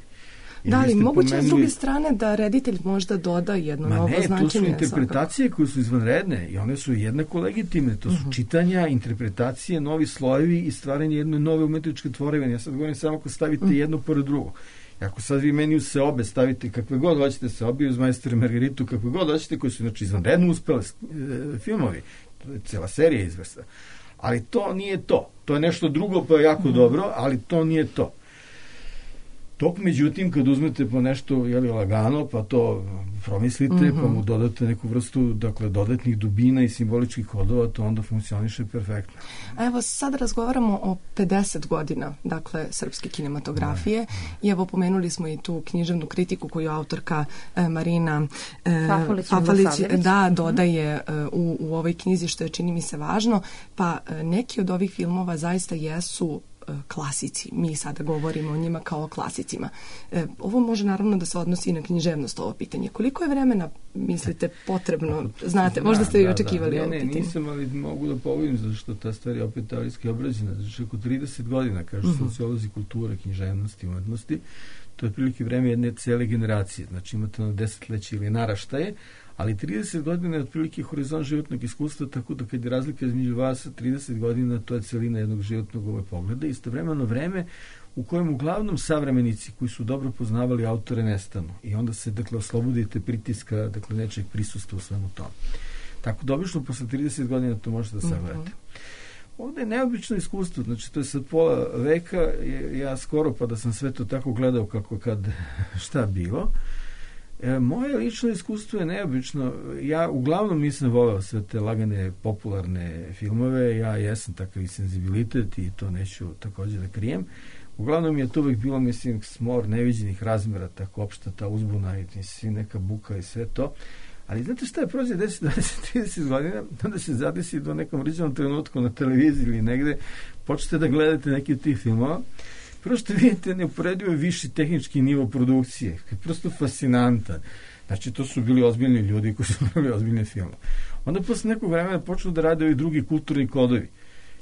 S2: Da, ali moguće s druge strane da reditelj možda doda jedno novo značenje.
S3: To su interpretacije koje su izvanredne i one su jednako legitimne. To su čitanja, interpretacije, novi slojevi i stvaranje jedne nove umetničke tvorevine. Ja sad govorim samo ako stavite jedno pored drugog. Ako sad vi meni u se obe stavite kakve god hoćete se obi uz Majstora i Margaritu, kakve god hoćete, koji su znači izvanredno uspeli filmovi, to je cela serija izvrsta. Ali to nije to. To je nešto drugo pa je jako dobro, ali to nije to. Dok, međutim, kad uzmete po nešto lagano, pa to promislite, pa mu dodate neku vrstu, dakle, dodatnih dubina i simboličkih kodova, to onda funkcioniše perfektno.
S2: A evo, sad razgovaramo o 50 godina, dakle, srpske kinematografije i evo, pomenuli smo i tu književnu kritiku koju autorka Marina Fafalić dodaje u ovoj knjizi, što je, čini mi se, važno, pa neki od ovih filmova zaista jesu klasici. Mi sada govorimo o njima kao o klasicima. Ovo može naravno da se odnosi i na književnost, ovo pitanje. Koliko je vremena, mislite, potrebno? Znate, možda ste i očekivali ovo pitanje.
S3: Nisam, ali mogu da povidim zašto ta stvar je opet teorijski obrađena. Znači, oko 30 godina, kažu sociolozi kulture, književnosti, umetnosti, to je prilike vreme jedne cele generacije. Znači, imate na desetleće ili naraštaje, ali 30 godina je otprilike horizont životnog iskustva, tako da kad je razlika između vas 30 godina, to je celina jednog životnog pogleda. Istovremeno vreme u kojem uglavnom savremenici koji su dobro poznavali autore nestanu i onda se, dakle, oslobodite pritiska, dakle, nečeg prisustva u svemu tome. Tako da obično posle 30 godina to možete da sagledate. Ovde je neobično iskustvo, znači to je sad pola veka, ja skoro pa da sam sve to tako gledao kako kad šta bilo. Moje lično iskustvo je neobično. Ja uglavnom nisam voleo sve te lagane popularne filmove, ja jesam takav i senzibilitet i to neću također da krijem. Uglavnom je to uvek bilo, mislim, smor neviđenih razmera, tako opšta ta uzbuna i svi neka buka i sve to. Ali znate šta je, prođe 10, 20, 30 godina, onda se zadesi do nekom riđenom trenutku na televiziji ili negde, počnete da gledate neki od tih filmova. Prvo što vidite, neuporedivo viši tehnički nivo produkcije, koji je prosto fascinantan. Znači, to su bili ozbiljni ljudi koji su pravili ozbiljne filme. Onda posle nekog vremena počnu da rade ovi drugi kulturni kodovi.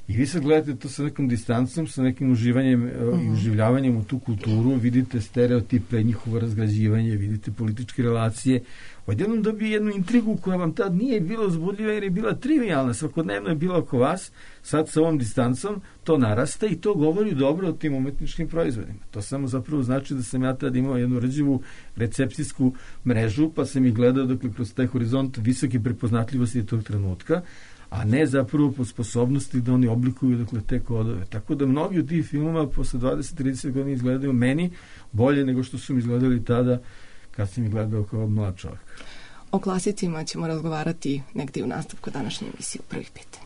S3: I vi sad gledate to sa nekom distancom, sa nekim uživanjem i uživljavanjem u tu kulturu, vidite stereotipe, njihovo razgrađivanje, vidite političke relacije. Odjednom dobije jednu intrigu koja vam tad nije bila uzbudljiva jer je bila trivialna, svakodnevno je bila oko vas, sad sa ovom distancom to narasta i to govori dobro o tim umetničkim proizvodima. To samo zapravo znači da sam ja tad imao jednu rđivu recepcijsku mrežu, pa sam ih gledao, dakle, kroz taj horizont visoke prepoznatljivosti tog trenutka, a ne zapravo po sposobnosti da oni oblikuju, dakle, te kodove. Tako da mnogi od tih filmova posle 20-30 godina izgledaju meni bolje nego što su mi izgledali tada kad sam ih gledao kao mlad čovjek.
S2: O klasicima ćemo razgovarati negdje u nastavku današnje emisije u prvih 5.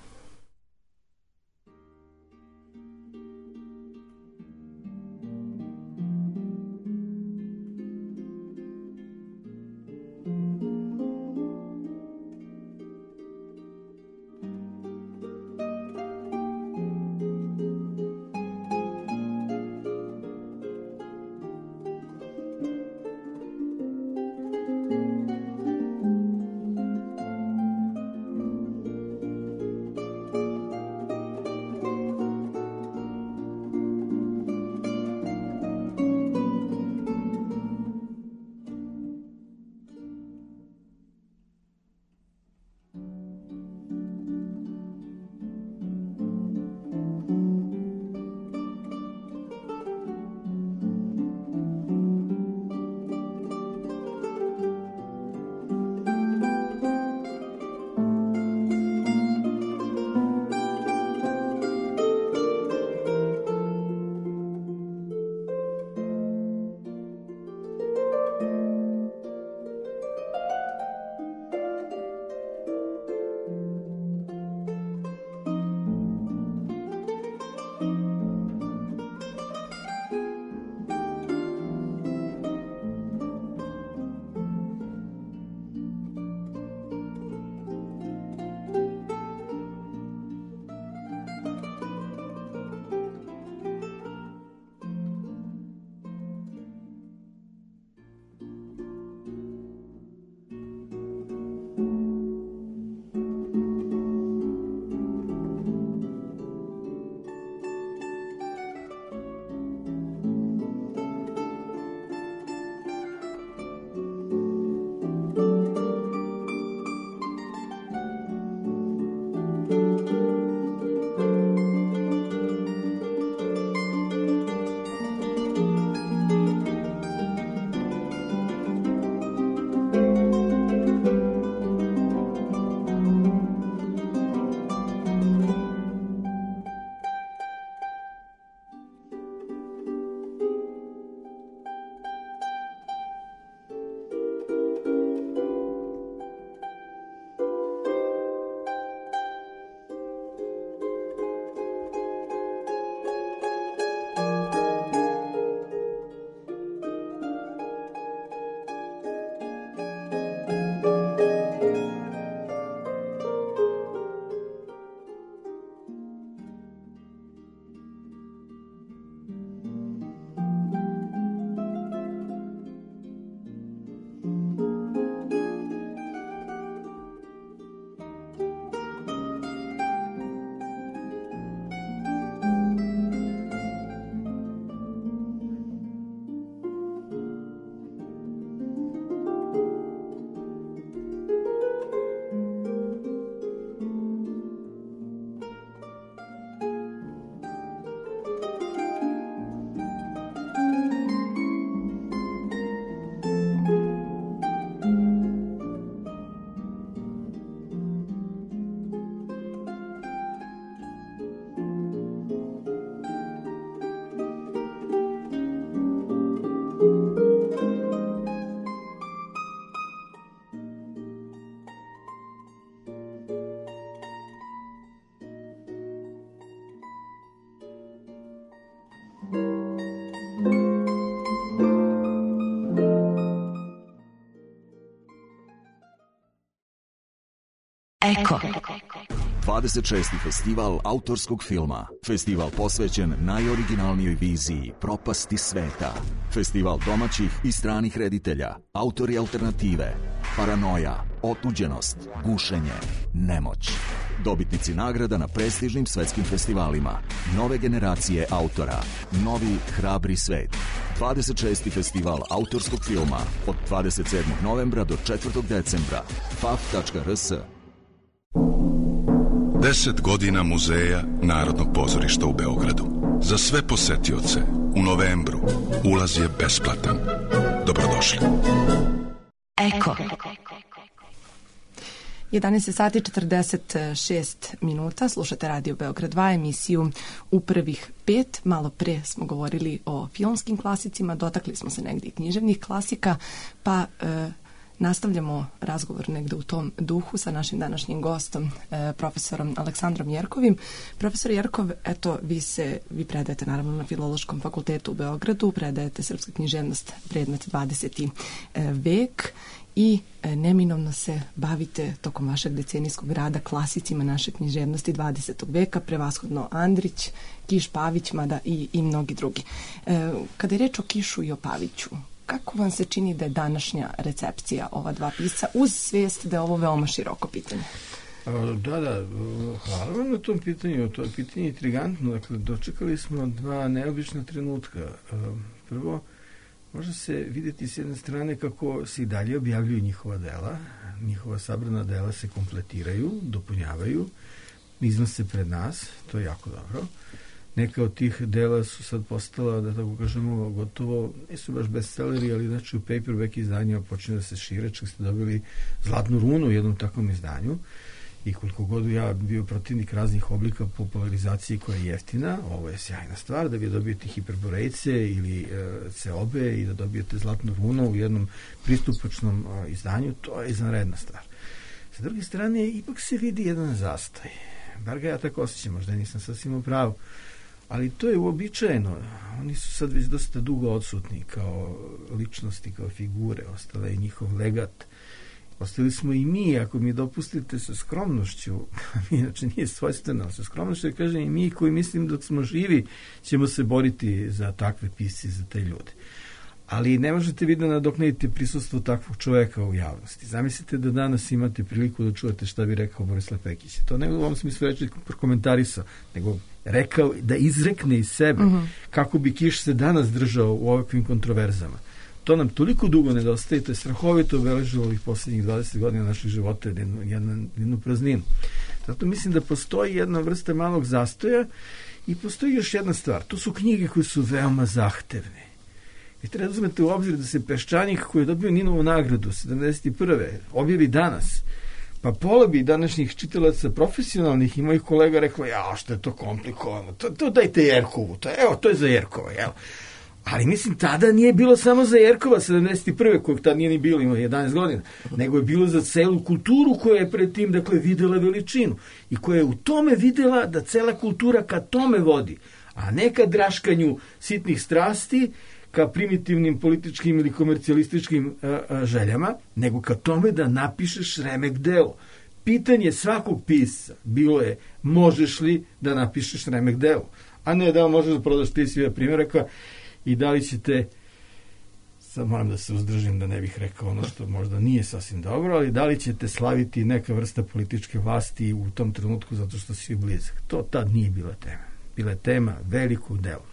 S5: Eko.
S6: 26. festival autorskog filma. Festival posvećen najoriginalnijoj viziji propasti sveta. Festival domaćih i stranih reditelja, autori alternative, paranoja, otuđenost, gušenje, nemoć. Dobitnici nagrada na prestižnim svetskim festivalima. Nove generacije autora. Novi hrabri svet. 26. festival autorskog filma od 27. novembra do 4. decembra. faf.rs.
S1: 10 godina Muzeja Narodnog pozorišta u Beogradu. Za sve posetioce u novembru ulaz je besplatan. Dobrodošli.
S5: Eko.
S2: 11 sati 46 minuta, slušate Radio Beograd 2, emisiju U prvih 5. Malo pre smo govorili o filmskim klasicima, dotakli smo se negdje i književnih klasika, pa nastavljamo razgovor negde u tom duhu sa našim današnjim gostom, profesorom Aleksandrom Jerkovim. Profesor Jerkov, eto, vi predajete naravno na Filološkom fakultetu u Beogradu, predajete srpska književnost, predmet 20. vek i neminovno se bavite tokom vašeg decenijskog rada klasicima naše književnosti 20. veka, prevashodno Andrić, Kiš, Pavić, mada i mnogi drugi. Kada je reč o Kišu i o Paviću, kako vam se čini da je današnja recepcija ova dva pisca uz svijest da je ovo veoma široko pitanje?
S3: Da, hvala vam na tom pitanju. To je pitanje intrigantno. Dakle, dočekali smo dva neobična trenutka. Prvo, može se vidjeti s jedne strane kako se i dalje objavljuju njihova dela. Njihova sabrana dela se kompletiraju, dopunjavaju, iznose pred nas. To je jako dobro. Neka od tih dela su sad postala, da tako kažemo, gotovo, nisu baš bestselleri, ali znači u paperback izdanjima počinju da se šire, čak ste dobili Zlatnu runu u jednom takvom izdanju. I koliko god ja bio protivnik raznih oblika popularizacije koja je jeftina, ovo je sjajna stvar, da vi dobijete hiperborejce ili ceobe i da dobijete Zlatnu runu u jednom pristupačnom izdanju, to je izvanredna stvar. Sa druge strane, ipak se vidi jedan zastoj. Bar ga ja tako osjećam, možda nisam sasvim u pravu. Ali to je uobičajeno. Oni su sad već dosta dugo odsutni kao ličnosti, kao figure. Ostala je njihov legat. Ostali smo i mi, ako mi dopustite, sa skromnošću, inače nije svojstveno, sa skromnošću, da kažem i mi koji mislim dok smo živi ćemo se boriti za takve pisce, za te ljude. Ali ne možete vi da nadoknadite prisustvo takvog čoveka u javnosti. Zamislite da danas imate priliku da čujete šta bi rekao Borislav Pekić. To ne u ovom smislu reći komentarisao, nego rekao da izrekne iz sebe kako bi Kiš se danas držao u ovakvim kontroverzama. To nam toliko dugo nedostaje, to je strahovito obeležilo ovih posljednjih 20 godina naših života, jednu prazninu. Zato mislim da postoji jedna vrsta malog zastoja i postoji još jedna stvar. To su knjige koje su veoma zahtevne. I treba da uzmete u obzir da se Peščanik, koji je dobio Ninovu nagradu 71. objavi danas, pa pola bi današnjih čitalaca profesionalnih i mojih kolega rekao, što je to komplikovano, to dajte Jerkovu, to je za Jerkova, jel? Ali mislim, tada nije bilo samo za Jerkova 71. kojeg tada nije ni bilo, ima 11 godina, nego je bilo za celu kulturu koja je pred tim, dakle, videla veličinu i koja je u tome videla da cela kultura ka tome vodi, a ne ka draškanju sitnih strasti, ka primitivnim političkim ili komercijalističkim željama, nego ka tome da napišeš remek delo. Pitanje svakog pisca bilo je, možeš li da napišeš remek delo, a ne da možeš da prodaš 30.000 primjeraka i da li ćete, sad moram da se uzdržim da ne bih rekao ono što možda nije sasvim dobro, ali da li ćete slaviti neka vrsta političke vlasti u tom trenutku zato što si blizak. To tad nije bila tema. Bila je tema velikog dela.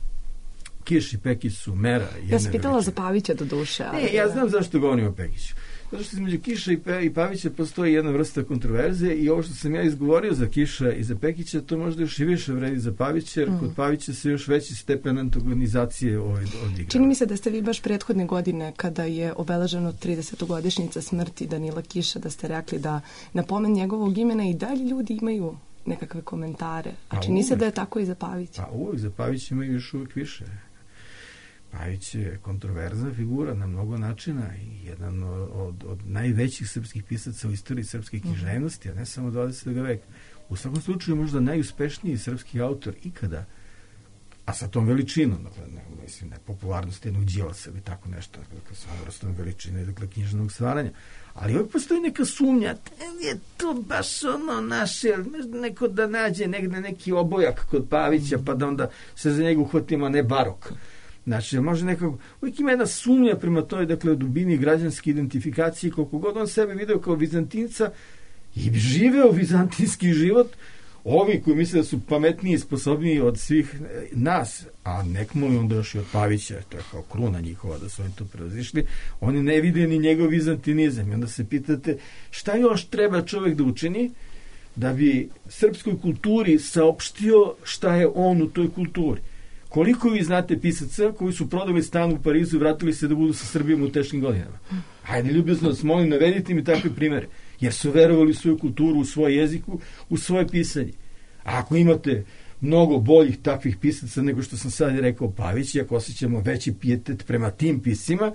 S3: Kiš i Pekić su mera.
S2: Ja sam pitala za Pavića do duše.
S3: Ne, ja znam zašto govorim o Pekiću. Zato što između Kiša i Pavića postoji jedna vrsta kontroverze i ovo što sam ja izgovorio za Kiša i za Pekića, to možda još i više vredi za Pavića, jer kod Pavića se još veći stepen antagonizacije odigrao.
S2: Čini mi se da ste vi baš prethodne godine, kada je obeleženo 30-godišnjica smrti Danila Kiša, da ste rekli da na pomen njegovog imena i dalje ljudi imaju nekakve komentare. A čini se da je tako i za Pavića.
S3: Pa uvijek, za Pavića imaju još uvijek više. Pavić je kontroverzna figura na mnogo načina i jedan od najvećih srpskih pisaca u istoriji srpske književnosti, a ne samo 20. veka. U svakom slučaju možda najuspešniji srpski autor ikada, a sa tom veličinom, dakle, mislim, popularnost jednog Đilasa ili tako nešto, dakle, sa vrstom veličine, dakle, književnog stvaranja. Ali uvijek postoji neka sumnja, je to baš ono naše, neko da nađe negde neki obojak kod Pavića, pa da onda se za njega uhvatimo, a ne barok. Znači, može nekako, uvijek ima jedna sumnja prema toj, dakle, dubini građanske identifikacije, koliko god on sebe video kao Vizantinca i živeo vizantinski život, ovi koji misle da su pametniji i sposobniji od svih nas, a nekmo li onda još i od Pavića, to je kao kruna njihova da su oni to prevazišli, oni ne vide ni njegov vizantinizam. I onda se pitate šta još treba čovjek da učini da bi srpskoj kulturi saopštio šta je on u toj kulturi. Koliko vi znate pisaca koji su prodali stan u Parizu i vratili se da budu sa Srbijom u teškim godinama? Hajde, ljubazno vas molim, navedite mi takve primere. Jer su verovali u svoju kulturu, u svoj jeziku, u svoje pisanje. A ako imate mnogo boljih takvih pisaca nego što sam sad rekao Pavić, i ako osjećamo veći pijetet prema tim piscima,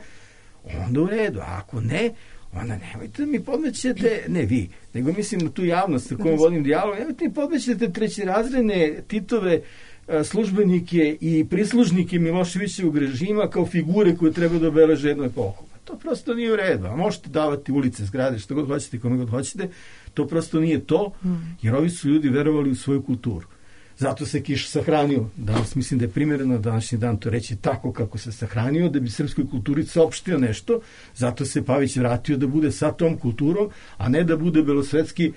S3: onda u redu. A ako ne, onda nemojte da mi podmećete, ne vi, nego mislim na tu javnost sa kojom vodim dijalog, nemojte mi podmećete trećerazredne Titove službenike i prislužnike Miloševićevog režima kao figure koje treba da obeleže jednu epohu. To prosto nije u redu. A možete davati ulice, zgrade, što god hoćete, kome god hoćete, to prosto nije to, jer ovi su ljudi verovali u svoju kulturu. Zato se Kiš sahranio. Danas mislim da je primjereno današnji dan to reći tako kako se sahranio, da bi srpskoj kulturi saopštio nešto. Zato se Pavić vratio da bude sa tom kulturom, a ne da bude belosvetski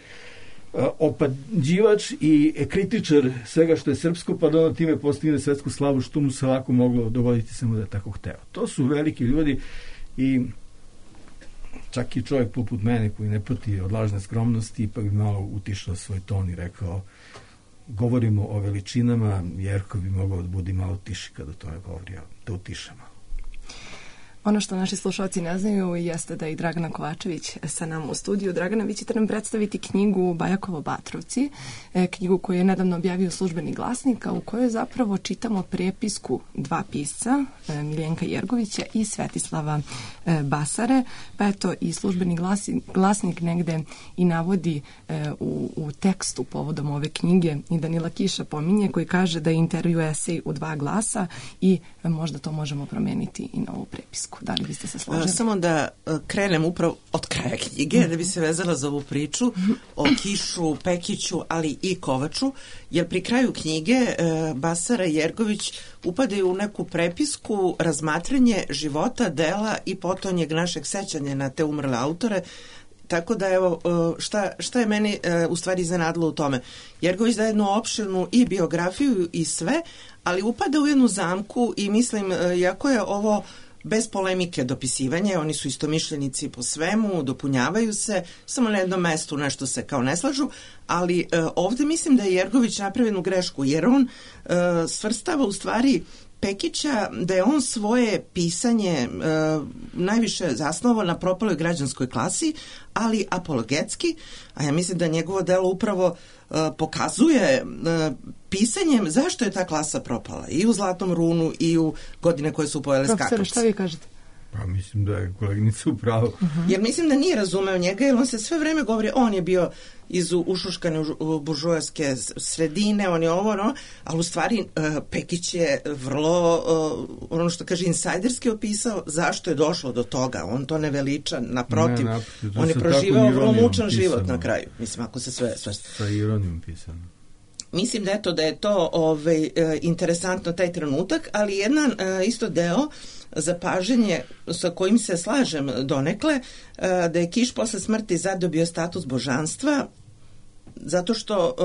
S3: opađivač i kritičar svega što je srpsko, pa da ono time postigne svetsku slavu, što mu se ovako moglo dogoditi samo da je tako hteo. To su veliki ljudi i čak i čovjek poput mene koji ne pati od lažne skromnosti ipak bi malo utišao svoj ton i rekao govorimo o veličinama, Jerko bi mogao da budi malo tiši kada to ne govori, da utišamo.
S2: Ono što naši slušalci ne znaju jeste da je i Dragana Kovačević sa nama u studiju. Dragana, vi ćete nam predstaviti knjigu Bajakovo Batrovci, knjigu koju je nedavno objavio Službeni glasnik, a u kojoj zapravo čitamo prepisku dva pisca, Miljenka Jergovića i Svetislava Basare. Pa eto, i Službeni glasnik negde i navodi u tekstu povodom ove knjige i Danila Kiša pominje, koji kaže da je intervju esej u dva glasa i možda to možemo promeniti i na ovu prepisku. Da li biste se složili?
S7: Samo da krenem upravo od kraja knjige, da bi se vezala za ovu priču o Kišu, Pekiću, ali i Kovaču, jer pri kraju knjige Basara i Jergović upadaju u neku prepisku razmatranje života, dela i potonjeg našeg sećanja na te umrle autore. Tako da, evo, šta je meni u stvari iznenadilo u tome? Jergović daje jednu opširnu i biografiju i sve, ali upada u jednu zamku i mislim, iako je ovo bez polemike dopisivanje, oni su istomišljenici po svemu, dopunjavaju se, samo na jednom mestu nešto se kao ne slažu, ali ovde mislim da je Jergović napravio jednu grešku, jer on svrstava u stvari Pekića da je on svoje pisanje najviše zasnovao na propaloj građanskoj klasi, ali apologetski, a ja mislim da njegovo delo upravo pokazuje pisanjem zašto je ta klasa propala i u Zlatnom runu i u Godine koje su pojele skakavci.
S2: Profesore, šta vi kažete?
S3: Pa mislim da je koleginica u pravu.
S7: Jer mislim da nije razumeo njega, jer on se sve vreme govori, on je bio iz ušuškane buržoaske sredine, on je ovo, no, ali u stvari Pekić je vrlo, ono što kaže, insajderski opisao zašto je došlo do toga. On to ne veliča, naprotiv. On je proživao vrlo mučan život na kraju. Mislim, ako se sve...
S3: Sa ironijom pisano.
S7: Mislim da je to interesantno taj trenutak, ali jedan isto deo zapaženje sa kojim se slažem donekle, da je Kiš posle smrti zadobio status božanstva, zato što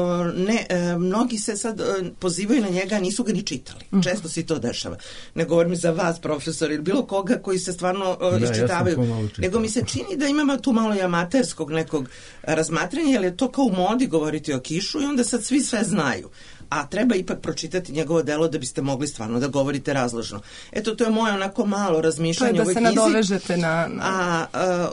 S7: mnogi se sad pozivaju na njega, nisu ga ni čitali. Često se to dešava. Ne govorim za vas, profesor, ili bilo koga koji se stvarno iščitavaju. Nego mi se čini da imamo tu malo i amaterskog nekog razmatranja, jer je to kao u modi govoriti o Kišu i onda sad svi sve znaju. A treba ipak pročitati njegovo delo da biste mogli stvarno da govorite razložno. Eto, to je moje onako malo razmišljanje o ovoj knjizi.
S2: To je da se nadovežete na...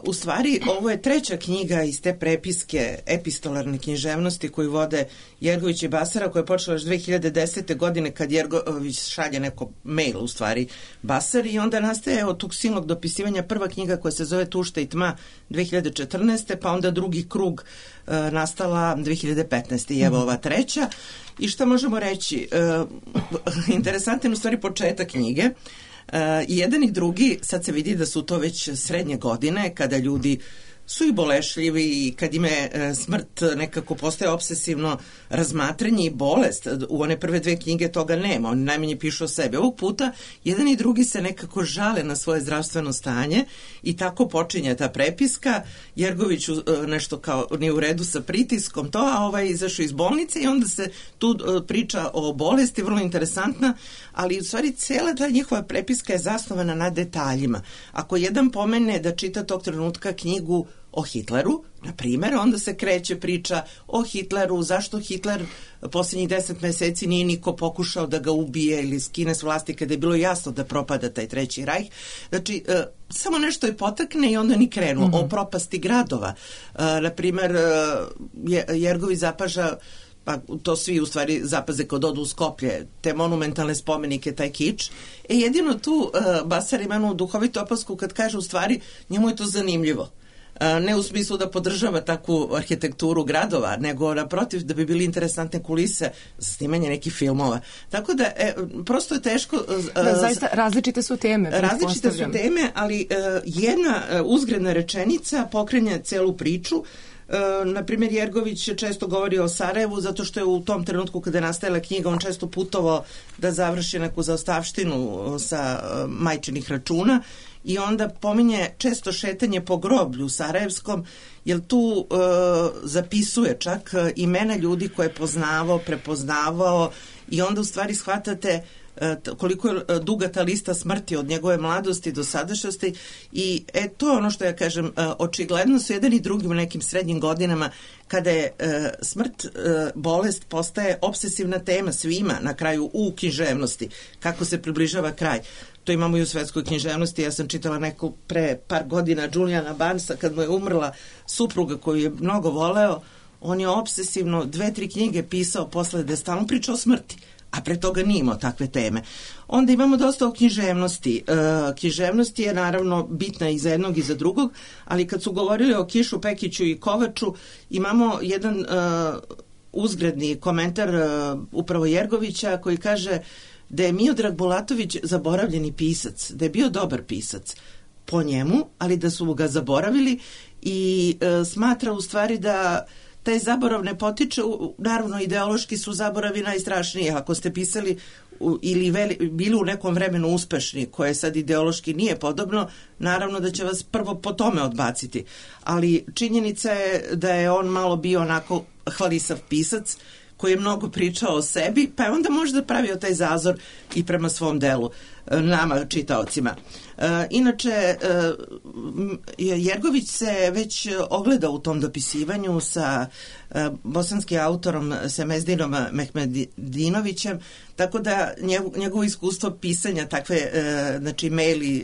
S7: u stvari, ovo je treća knjiga iz te prepiske epistolarne književnosti koju vode Jergović i Basara, koja je počela još 2010. godine kad Jergović šalje neko mail, u stvari, Basari, i onda nastaje od tog silnog dopisivanja prva knjiga koja se zove Tušta i tma 2014. pa onda drugi krug nastala 2015. i evo ova treća. I šta možemo reći? Interesantan u stvari početak knjige. I jedan i drugi, sad se vidi da su to već srednje godine, kada ljudi su i bolešljivi i kad im je smrt nekako postaje obsesivno razmatranje i bolest. U one prve dve knjige toga nema, oni najmanje pišu o sebi. Ovog puta jedan i drugi se nekako žale na svoje zdravstveno stanje i tako počinje ta prepiska. Jergović nešto kao nije u redu sa pritiskom, to, a ovaj izašao iz bolnice i onda se tu priča o bolesti, vrlo interesantna, ali u stvari cijela ta njihova prepiska je zasnovana na detaljima. Ako jedan pomene da čita tog trenutka knjigu o Hitleru, na primjer, onda se kreće priča o Hitleru, zašto Hitler posljednjih 10 meseci nije niko pokušao da ga ubije ili skine s vlasti kada je bilo jasno da propada taj Treći rajh. Znači, samo nešto je potakne i onda ni krenu. O propasti gradova. Na primjer, Jergović zapaža, pa to svi u stvari zapaze kod odu u Skoplje, te monumentalne spomenike, taj kič. Jedino tu Basar ima jednu duhovitu opasku kad kaže u stvari njemu je to zanimljivo. Ne u smislu da podržava takvu arhitekturu gradova, nego naprotiv da bi bili interesantne kulise za snimanje nekih filmova. Tako da, prosto je teško...
S2: zaista, različite su teme.
S7: Različite su teme, ali jedna uzgredna rečenica pokrenja celu priču. Na primjer, Jergović često govori o Sarajevu zato što je u tom trenutku kada je nastajala knjiga on često putovao da završi neku zaostavštinu sa majčinih računa i onda pominje često šetanje po groblju sarajevskom, jer tu zapisuje čak imena ljudi koje je poznavao, prepoznavao i onda u stvari shvatate koliko je duga ta lista smrti od njegove mladosti do sadašnjosti i to je ono što ja kažem, očigledno su jedan i drugi u nekim srednjim godinama kada je smrt, bolest postaje obsesivna tema svima na kraju u književnosti, kako se približava kraj. To imamo i u svetskoj književnosti. Ja sam čitala neku pre par godina Juliana Barnesa kad mu je umrla supruga koju je mnogo voleo, on je obsesivno 2-3 knjige pisao posle da je stalno pričao o smrti, a pre toga nije imao takve teme. Onda imamo dosta o književnosti. Književnost je naravno bitna i za jednog i za drugog, ali kad su govorili o Kišu, Pekiću i Kovaču, imamo jedan uzgredni komentar upravo Jergovića koji kaže da je Miodrag Bulatović zaboravljeni pisac, da je bio dobar pisac po njemu, ali da su ga zaboravili i smatra u stvari da taj zaborav ne potiče, naravno ideološki su zaboravi najstrašniji, ako ste pisali ili bili u nekom vremenu uspešni, koje sad ideološki nije podobno, naravno da će vas prvo po tome odbaciti. Ali činjenica je da je on malo bio onako hvalisav pisac, koji je mnogo pričao o sebi, pa je onda možda pravio taj zazor i prema svom delu, nama, čitaocima. Inače, Jergović se već ogleda u tom dopisivanju sa bosanskim autorom Semezdinom Mehmedinovićem, tako da njegovo iskustvo pisanja takve, znači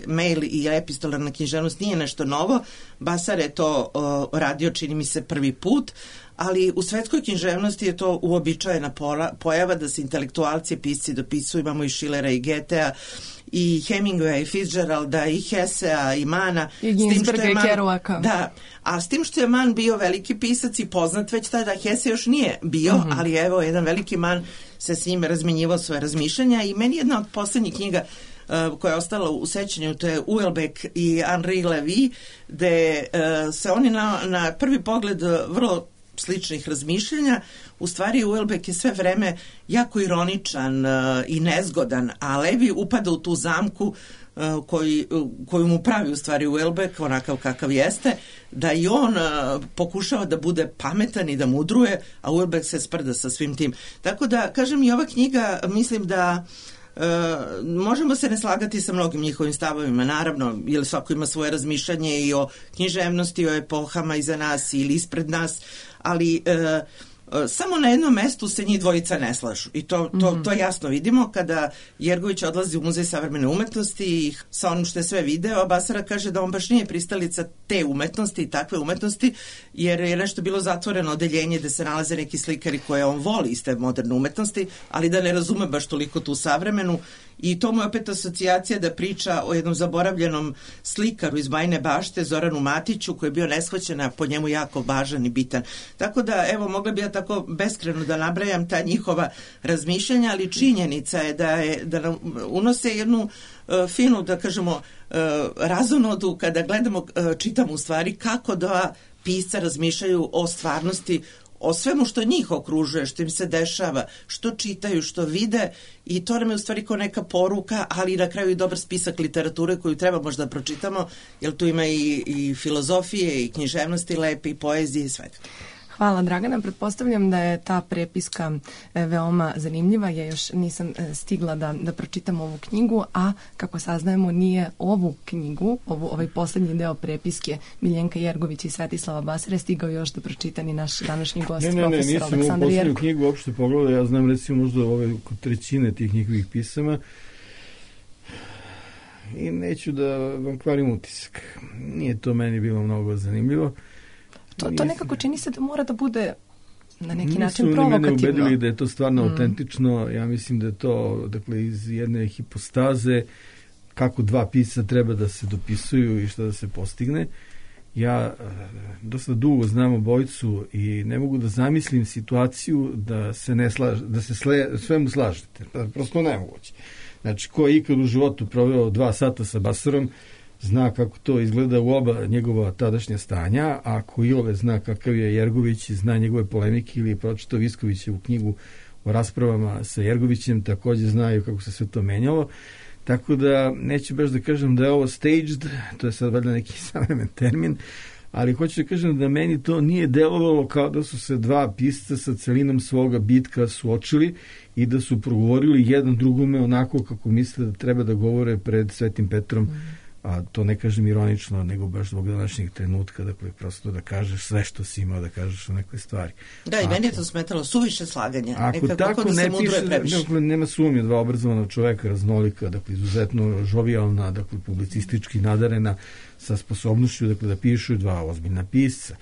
S7: mail i epistolarna književnost nije nešto novo. Basar je to radio, čini mi se, prvi put, ali u svetskoj književnosti je to uobičajena pojava da se intelektualci i pisci dopisuju. Imamo i Schillera i Goethea i Hemingwaya i Fitzgeralda i Hessea i Mana
S2: i Ginsberga i Kerouaka.
S7: Da, a s tim što je Mann bio veliki pisac i poznat već tada, Hesse još nije bio, ali evo jedan veliki Mann se s njim razmenjivao svoje razmišljanja i meni jedna od poslednjih knjiga koja je ostala u sećanju, to je Houellebecq i Henri Lévy, gde se oni na prvi pogled vrlo sličnih razmišljanja. U stvari Houellebecq je sve vreme jako ironičan i nezgodan, a Levi upada u tu zamku koju mu pravi u stvari Houellebecq, onakav kakav jeste, da i on pokušava da bude pametan i da mudruje, a Houellebecq se sprda sa svim tim. Tako da, kažem, i ova knjiga, mislim da možemo se ne slagati sa mnogim njihovim stavovima, naravno, jer svako ima svoje razmišljanje i o književnosti, o epohama iza nas ili ispred nas, ali samo na jednom mestu se njih dvojica ne slažu i to jasno vidimo kada Jergović odlazi u Muzej savremene umetnosti i sa onim što je sve video, a Basara kaže da on baš nije pristalica te umetnosti i takve umetnosti, jer je nešto bilo zatvoreno odeljenje gde se nalaze neki slikari koje on voli iz te moderne umetnosti, ali da ne razume baš toliko tu savremenu i to mu je opet asocijacija da priča o jednom zaboravljenom slikaru iz Bajine Bašte, Zoranu Matiću, koji je bio neshvaćen, a po njemu jako važan i bitan. Tako da, evo, mogla bi ja tako beskreno da nabrajam ta njihova razmišljanja, ali činjenica je da nam unose jednu finu, da kažemo, razonodu kada gledamo, čitamo u stvari kako dva pisca razmišljaju o stvarnosti, o svemu što njih okružuje, što im se dešava, što čitaju, što vide, i to nam je u stvari kao neka poruka, ali na kraju i dobar spisak literature koju treba možda da pročitamo, jer tu ima i filozofije, i književnosti lepe, i poezije, i sve.
S2: Hvala, Dragana. Pretpostavljam da je ta prepiska veoma zanimljiva. Ja još nisam stigla da pročitam ovu knjigu, a kako saznajemo nije ovu knjigu, ovaj poslednji deo prepiske Miljenka Jergović i Svetislava Basare stigao još da pročita ni naš današnji gost, profesor Aleksandar Jerkov.
S3: Nisam ovu poslednju knjigu uopšte pogledao, ja znam recimo možda ove trećine tih njihovih pisama i neću da vam kvarim utisak. Nije to meni bilo mnogo zanimljivo.
S2: To nekako čini se da mora da bude na neki način provokativno.
S3: Nisu mene ubedili da je to stvarno autentično. Ja mislim da je to, dakle, iz jedne hipostaze kako dva pisca treba da se dopisuju i šta da se postigne. Ja dosta dugo znam obojicu i ne mogu da zamislim situaciju da se ne svemu slažete. Prosto nemoguće. Znači, ko je ikad u životu proveo 2 sata sa Basarom, zna kako to izgleda u oba njegova tadašnja stanja, a ako Ilove zna kakav je Jergović, zna njegove polemike ili je pročitao Viskovićevu knjigu o raspravama sa Jergovićem, takođe znaju kako se sve to menjalo. Tako da neću baš da kažem da je ovo staged, to je sad valjda neki savremen termin, ali hoću da kažem da meni to nije delovalo kao da su se dva pisca sa celinom svoga bitka suočili i da su progovorili jedan drugome onako kako misle da treba da govore pred Svetim Petrom, a to ne kažem ironično, nego baš zbog današnjeg trenutka, dakle, prosto da kažeš sve što si imao da kažeš o nekoj stvari.
S7: Da, i meni je to smetalo, suviše slaganja.
S3: Ako tako da ne piše, dakle, nema sumnje, dva obrazovana čoveka, raznolika, dakle, izuzetno žovijalna, dakle, publicistički nadarena, sa sposobnošću, dakle, da pišu dva ozbiljna pisca.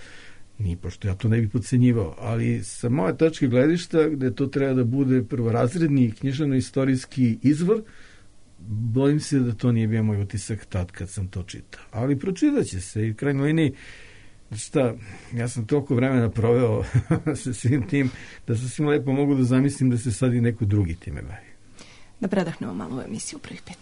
S3: Ni pošto ja to ne bih podcenjivao, ali sa moje tačke gledišta, gde to treba da bude prvorazredni književno-istorijski izvor, bojim se da to nije bio moj utisak tad kad sam to čitao. Ali pročitat će se i u krajnjoj liniji, šta, ja sam toliko vremena proveo sa svim tim, da sasvim lepo mogu da zamislim da se sad i neko drugi time bavi.
S2: Da predahnemo malo u emisiju prvih 5.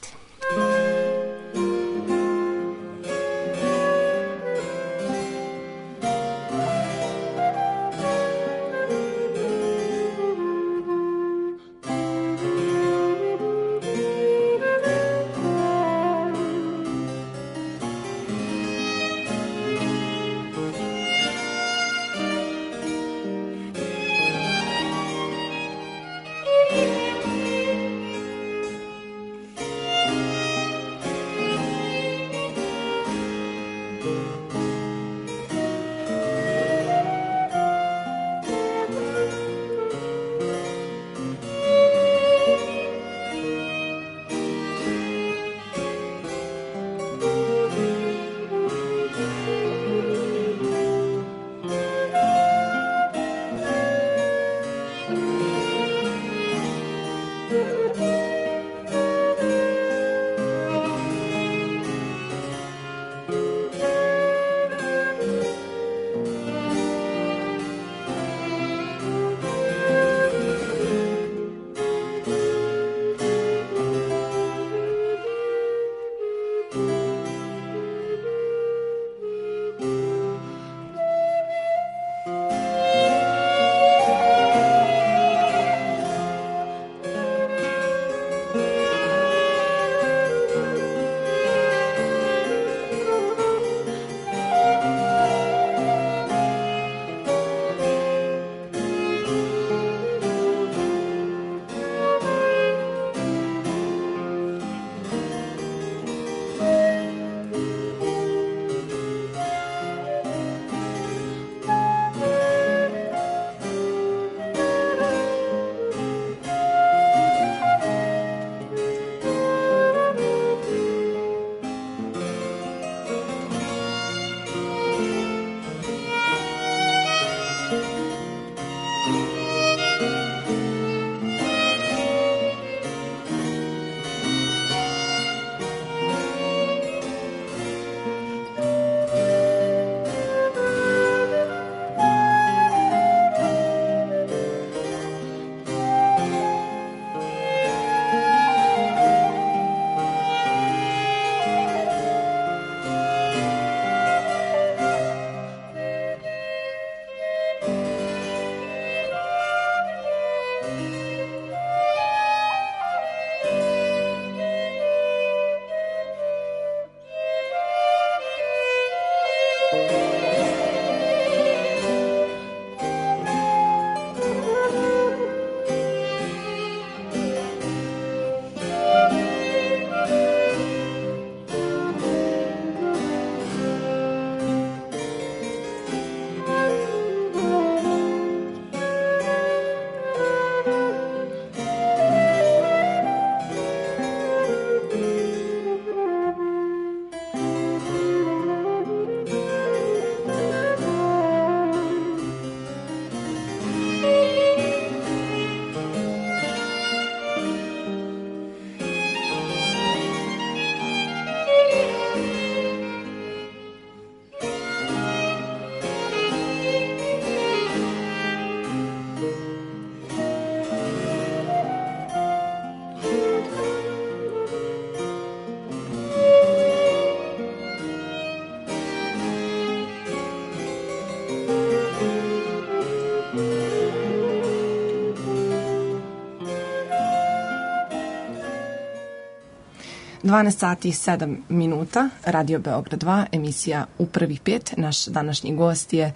S2: 12 sati i 7 minuta, Radio Beograd 2, emisija U prvih 5. Naš današnji gost je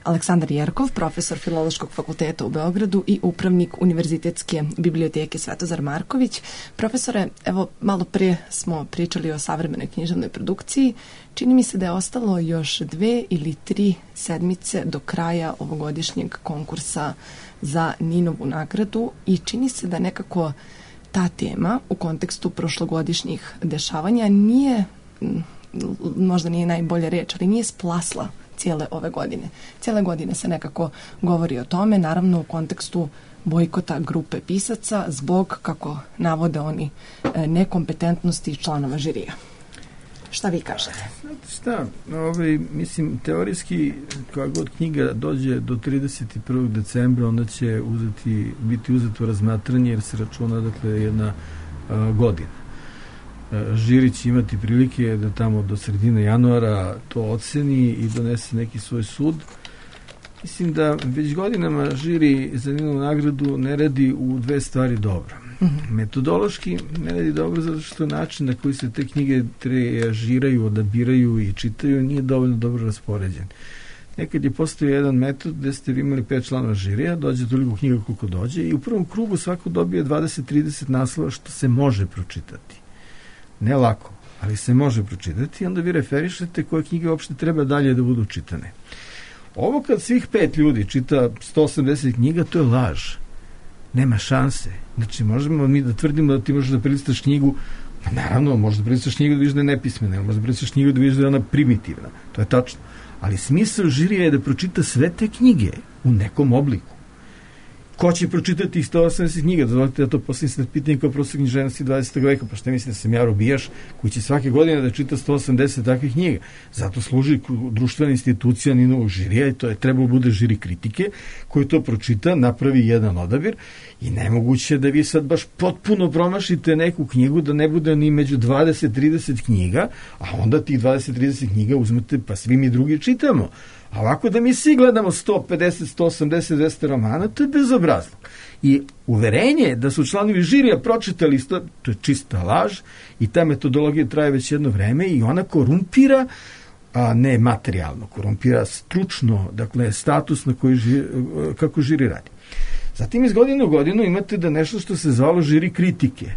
S2: Aleksandar Jerkov, profesor Filološkog fakulteta u Beogradu i upravnik Univerzitetske biblioteke Svetozar Marković. Profesore, evo, malo prije smo pričali o savremenoj književnoj produkciji. Čini mi se da je ostalo još 2 ili 3 sedmice do kraja ovogodišnjeg konkursa za Ninovu nagradu i čini se da nekako ta tema u kontekstu prošlogodišnjih dešavanja nije, možda nije najbolja reč, ali nije splasla cijele ove godine. Cijele godine se nekako govori o tome, naravno u kontekstu bojkota grupe pisaca zbog, kako navode oni, nekompetentnosti članova žirija. Šta vi kažete?
S3: Šta, mislim, teorijski koja god knjiga dođe do 31. decembra, onda će biti uzeto razmatranje jer se računa, dakle, jedna godina. Žiri će imati prilike da tamo do sredine januara to oceni i donese neki svoj sud. Mislim da već godinama žiri za Ninovu nagradu ne radi u 2 stvari dobro. Metodološki ne radi dobro zato što način na koji se te knjige trijažiraju, odabiraju i čitaju nije dovoljno dobro raspoređen. Nekad je postojao jedan metod gde ste vi imali 5 članova žirija, dođe toliko knjiga koliko dođe i u prvom krugu svako dobije 20-30 naslova što se može pročitati. Ne lako, ali se može pročitati i onda vi referišete koje knjige uopšte treba dalje da budu čitane. Ovo kad svih 5 ljudi čita 180 knjiga, to je laž. Nema šanse. Znači, možemo mi da tvrdimo da ti možeš da prelistaš knjigu, naravno, možeš da prelistaš knjigu da vidiš da je nepismena, možeš da prelistaš knjigu da vidiš da je ona primitivna. To je tačno. Ali smisao žirija je da pročita sve te knjige u nekom obliku. Ko će pročitati ih 180 knjiga? Dozvolite da to postavim sad pitanje kao profesor književnosti 20. veka. Pa šta mislite da sam ja robijaš koji će svake godine da čita 180 takvih knjiga? Zato služi društvena institucija Ninovog žirija i to je trebalo bude žiri kritike koji to pročita, napravi jedan odabir i nemoguće da vi sad baš potpuno promašite neku knjigu da ne bude ni među 20-30 knjiga, a onda tih 20-30 knjiga uzmete pa svi mi drugi čitamo. A ovako da mi svi gledamo 150, 180, 200 romana, to je bezobrazno. I uverenje da su članovi žirija pročitali isto, to je čista laž i ta metodologija traje već jedno vreme i ona korumpira, a ne materijalno, korumpira stručno, dakle status na koji kako žiri radi. Zatim iz godine u godinu imate da nešto što se zvalo žiri kritike.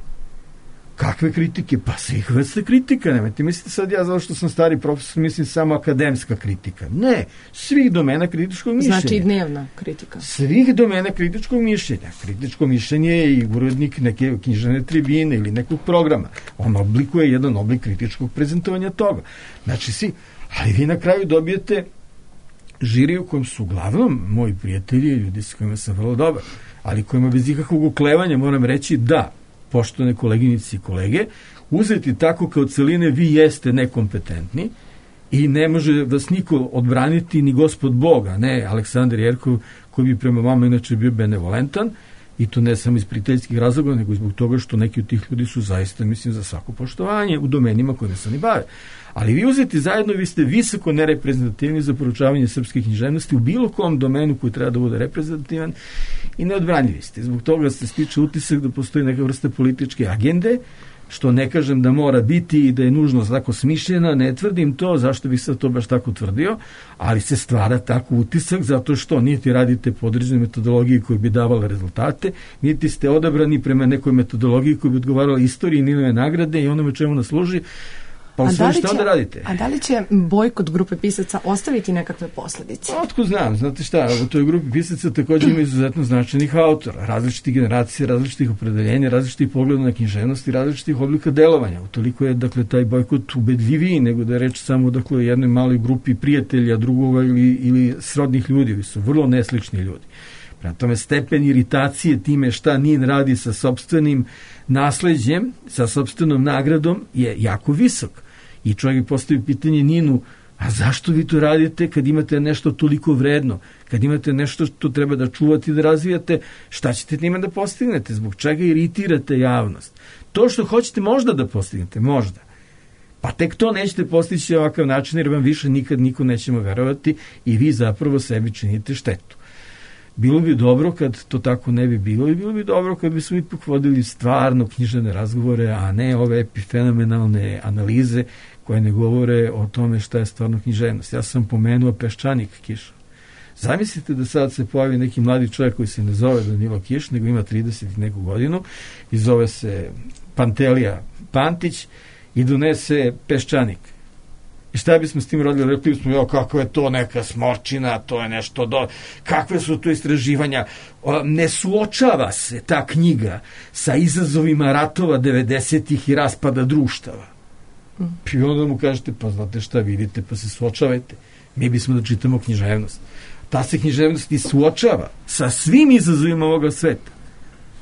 S3: Kakve kritike? Pa svih vrsta kritika. Nemojte mislite sad ja zato što sam stari profesor mislim samo akademska kritika. Ne, svih domena kritičkog mišljenja.
S2: Znači dnevna kritika.
S3: Svih domena kritičkog mišljenja. Kritičko mišljenje je i urednik neke književne tribine ili nekog programa. On oblikuje jedan oblik kritičkog prezentovanja toga. Znači svi, ali vi na kraju dobijete žiri u kojem su uglavnom moji prijatelji, ljudi s kojima sam vrlo dobar, ali kojima bez ikakvog uklevanja moram reći da, poštovane koleginici i kolege, uzeti tako kao celine vi jeste nekompetentni i ne može vas niko odbraniti ni gospod Boga, ne Aleksandar Jerkov koji bi prema vama inače bio benevolentan i to ne samo iz prijateljskih razloga, nego i zbog toga što neki od tih ljudi su zaista, mislim, za svako poštovanje u domenima kojima se oni bave. Ali vi uzeti zajedno, vi ste visoko nereprezentativni za poručavanje srpske književnosti u bilo kom domenu koji treba da bude reprezentativan i neodbranljivi ste. Zbog toga se stiče utisak da postoji neka vrsta političke agende, što ne kažem da mora biti i da je nužno tako smišljena, ne tvrdim to, zašto bih sad to baš tako tvrdio, ali se stvara tako utisak zato što niti radite po određenoj metodologiji koji bi davala rezultate, niti ste odabrani prema nekoj metodologiji koji bi odgovarala istoriji Ninove nagrade i onome čemu nas služi. Pa sve što onda radite?
S2: A da li će bojkot grupe pisaca ostaviti nekakve posledice?
S3: Otkud znam, znate šta, u toj grupi pisaca također ima izuzetno značajnih autora, različitih generacija, različitih opredeljenja, različitih pogleda na književnost i različitih oblika delovanja. Utoliko je, dakle, taj bojkot ubedljiviji nego da je reč samo, dakle, o jednoj maloj grupi prijatelja, drugova ili srodnih ljudi, koji su vrlo neslični ljudi. Prema tome, stepen iritacije time šta NIN radi sa sopstvenim nasleđem, sa sopstvenom nagradom je jako visok. I čovjek postavi pitanje NIN-u, a zašto vi to radite kad imate nešto toliko vredno, kad imate nešto što treba da čuvate i da razvijate, šta ćete njima da postignete, zbog čega iritirate javnost? To što hoćete možda da postignete, možda. Pa tek to nećete postići ovakav način jer vam više nikad niko nećemo verovati i vi zapravo sebi činite štetu. Bilo bi dobro kad to tako ne bi bilo i bilo bi dobro kad bi su ipak vodili stvarno književne razgovore, a ne ove epifenomenalne analize koje ne govore o tome šta je stvarno književnost. Ja sam pomenuo Peščanik Kiša. Zamislite da sad se pojavi neki mladi čovjek koji se ne zove Danilo Kiš, nego ima 30 i neku godinu i zove se Pantelija Pantić i donese Peščanik. I šta bismo s tim radili? Rekli bismo, kako je to neka smorčina, to je nešto kakve su to istraživanja. Ne suočava se ta knjiga sa izazovima ratova 90-ih i raspada društava. I onda mu kažete, pa znate šta, vidite, pa se suočavajte. Mi bismo da čitamo književnost. Ta se književnost i suočava sa svim izazovima ovoga sveta.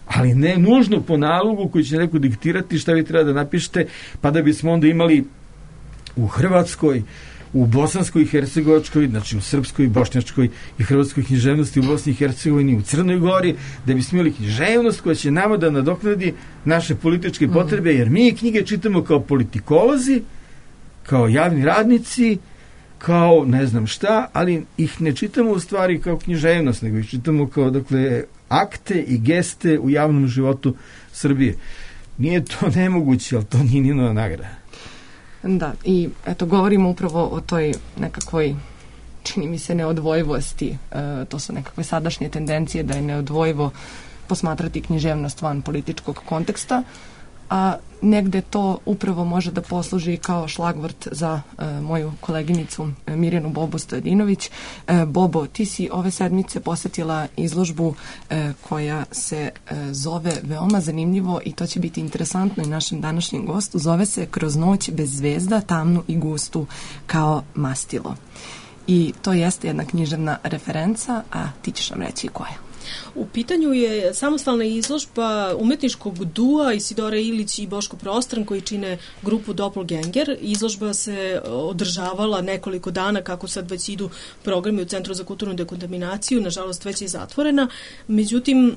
S3: Ali ne nužno po nalogu koji će neko diktirati šta vi treba da napišete, pa da bismo onda imali u Hrvatskoj, u Bosanskoj i Hercegovačkoj, znači u Srpskoj, Bošnjačkoj i Hrvatskoj književnosti, u Bosni i Hercegovini, u Crnoj Gori, da bismo imali književnost koja će nama da nadoknadi naše političke potrebe, jer mi knjige čitamo kao politikolozi, kao javni radnici, kao ne znam šta, ali ih ne čitamo u stvari kao književnost, nego ih čitamo kao, dakle, akte i geste u javnom životu Srbije. Nije to nemoguće, ali to nije ni nova nagrada.
S2: Da, i eto, govorimo upravo o toj nekakvoj, čini mi se, neodvojivosti. To su nekakve sadašnje tendencije da je neodvojivo posmatrati književnost van političkog konteksta, a negde to upravo može da posluži kao šlagvort za moju koleginicu Mirjanu Bobu Stojadinović. Bobo, ti si ove sedmice posetila izložbu koja se zove veoma zanimljivo i to će biti interesantno i našem današnjem gostu. Zove se Kroz noć bez zvezda, tamnu i gustu kao mastilo. I to jeste jedna književna referenca, a ti ćeš nam reći koja.
S8: U pitanju je samostalna izložba umetničkog dua Isidore Ilić i Boško Prostran koji čine grupu Doppelganger. Izložba se održavala nekoliko dana, kako sad već idu programi u Centru za kulturnu dekontaminaciju, nažalost već je zatvorena. Međutim,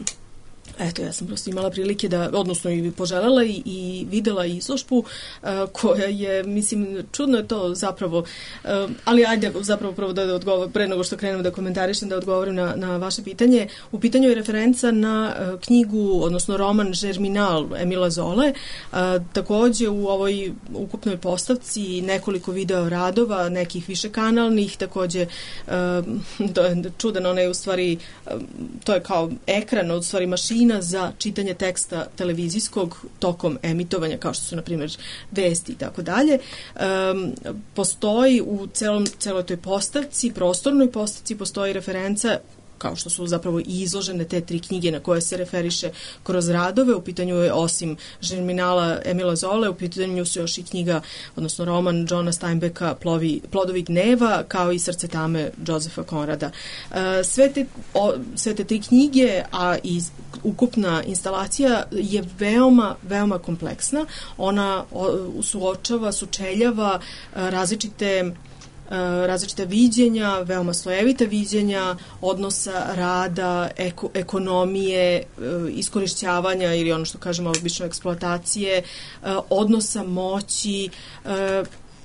S8: eto, ja sam prosto imala prilike da, odnosno i poželjela i videla izložbu koja je, mislim, čudno je to zapravo, ali ajde zapravo prvo da odgovorim, pre nego što krenem da komentarišem, da odgovorim na vaše pitanje. U pitanju je referenca na knjigu, odnosno roman Germinal Emila Zole. Takođe u ovoj ukupnoj postavci nekoliko video radova, nekih višekanalnih, takođe to je čudan, ona je u stvari, to je kao ekran, od stvari mašina za čitanje teksta televizijskog tokom emitovanja, kao što su, na primjer, vesti i tako dalje. Postoji u celoj toj postavci, prostornoj postavci, postoji referenca, kao što su zapravo i izložene te 3 knjige na koje se referiše kroz radove. U pitanju je, osim Germinala Emila Zole, u pitanju su još i knjiga, odnosno roman Johna Steinbecka Plodovi gneva, kao i Srce tame Josefa Konrada. Sve te 3 knjige, a i ukupna instalacija je veoma, veoma kompleksna. Ona sučeljava različite viđenja, veoma slojevita viđenja, odnosa rada, ekonomije, iskorišćavanja ili ono što kažemo obično eksploatacije, odnosa moći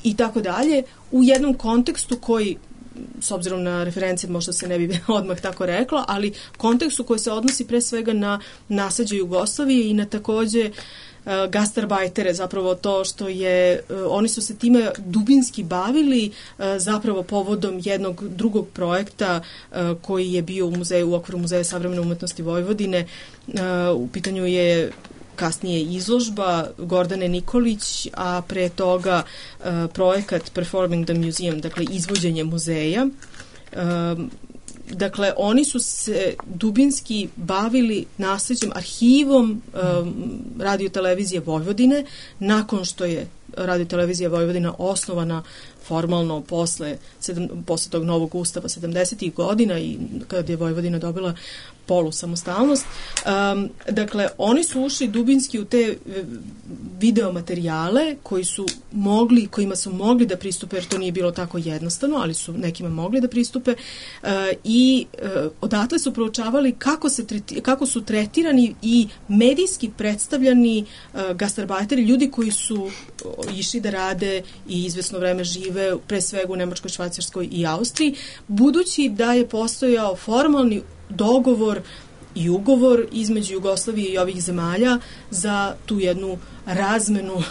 S8: i tako dalje, u jednom kontekstu koji, s obzirom na referencije možda se ne bi odmah tako reklo, ali kontekstu koji se odnosi pre svega na nasleđe Jugoslavije i na takođe gastarbajtere, zapravo to što je, oni su se time dubinski bavili zapravo povodom jednog drugog projekta koji je bio u okviru Muzeja savremene umetnosti Vojvodine. U pitanju je kasnije izložba Gordane Nikolić, a pre toga projekat Performing the Museum, dakle izvođenje muzeja. Dakle, oni su se dubinski bavili nasleđem, arhivom radiotelevizije Vojvodine, nakon što je radiotelevizija Vojvodina osnovana formalno posle tog novog ustava 70. godina i kad je Vojvodina dobila polusamostalnost. Dakle, oni su ušli dubinski u te videomaterijale kojima su mogli da pristupe, jer to nije bilo tako jednostavno, ali su nekima mogli da pristupe i odatle su proučavali kako su tretirani i medijski predstavljani gastarbajteri, ljudi koji su išli da rade i izvesno vreme žive pre svega u Nemačkoj, Švajcarskoj i Austriji, budući da je postojao formalni dogovor i ugovor između Jugoslavije i ovih zemalja za tu jednu razmenu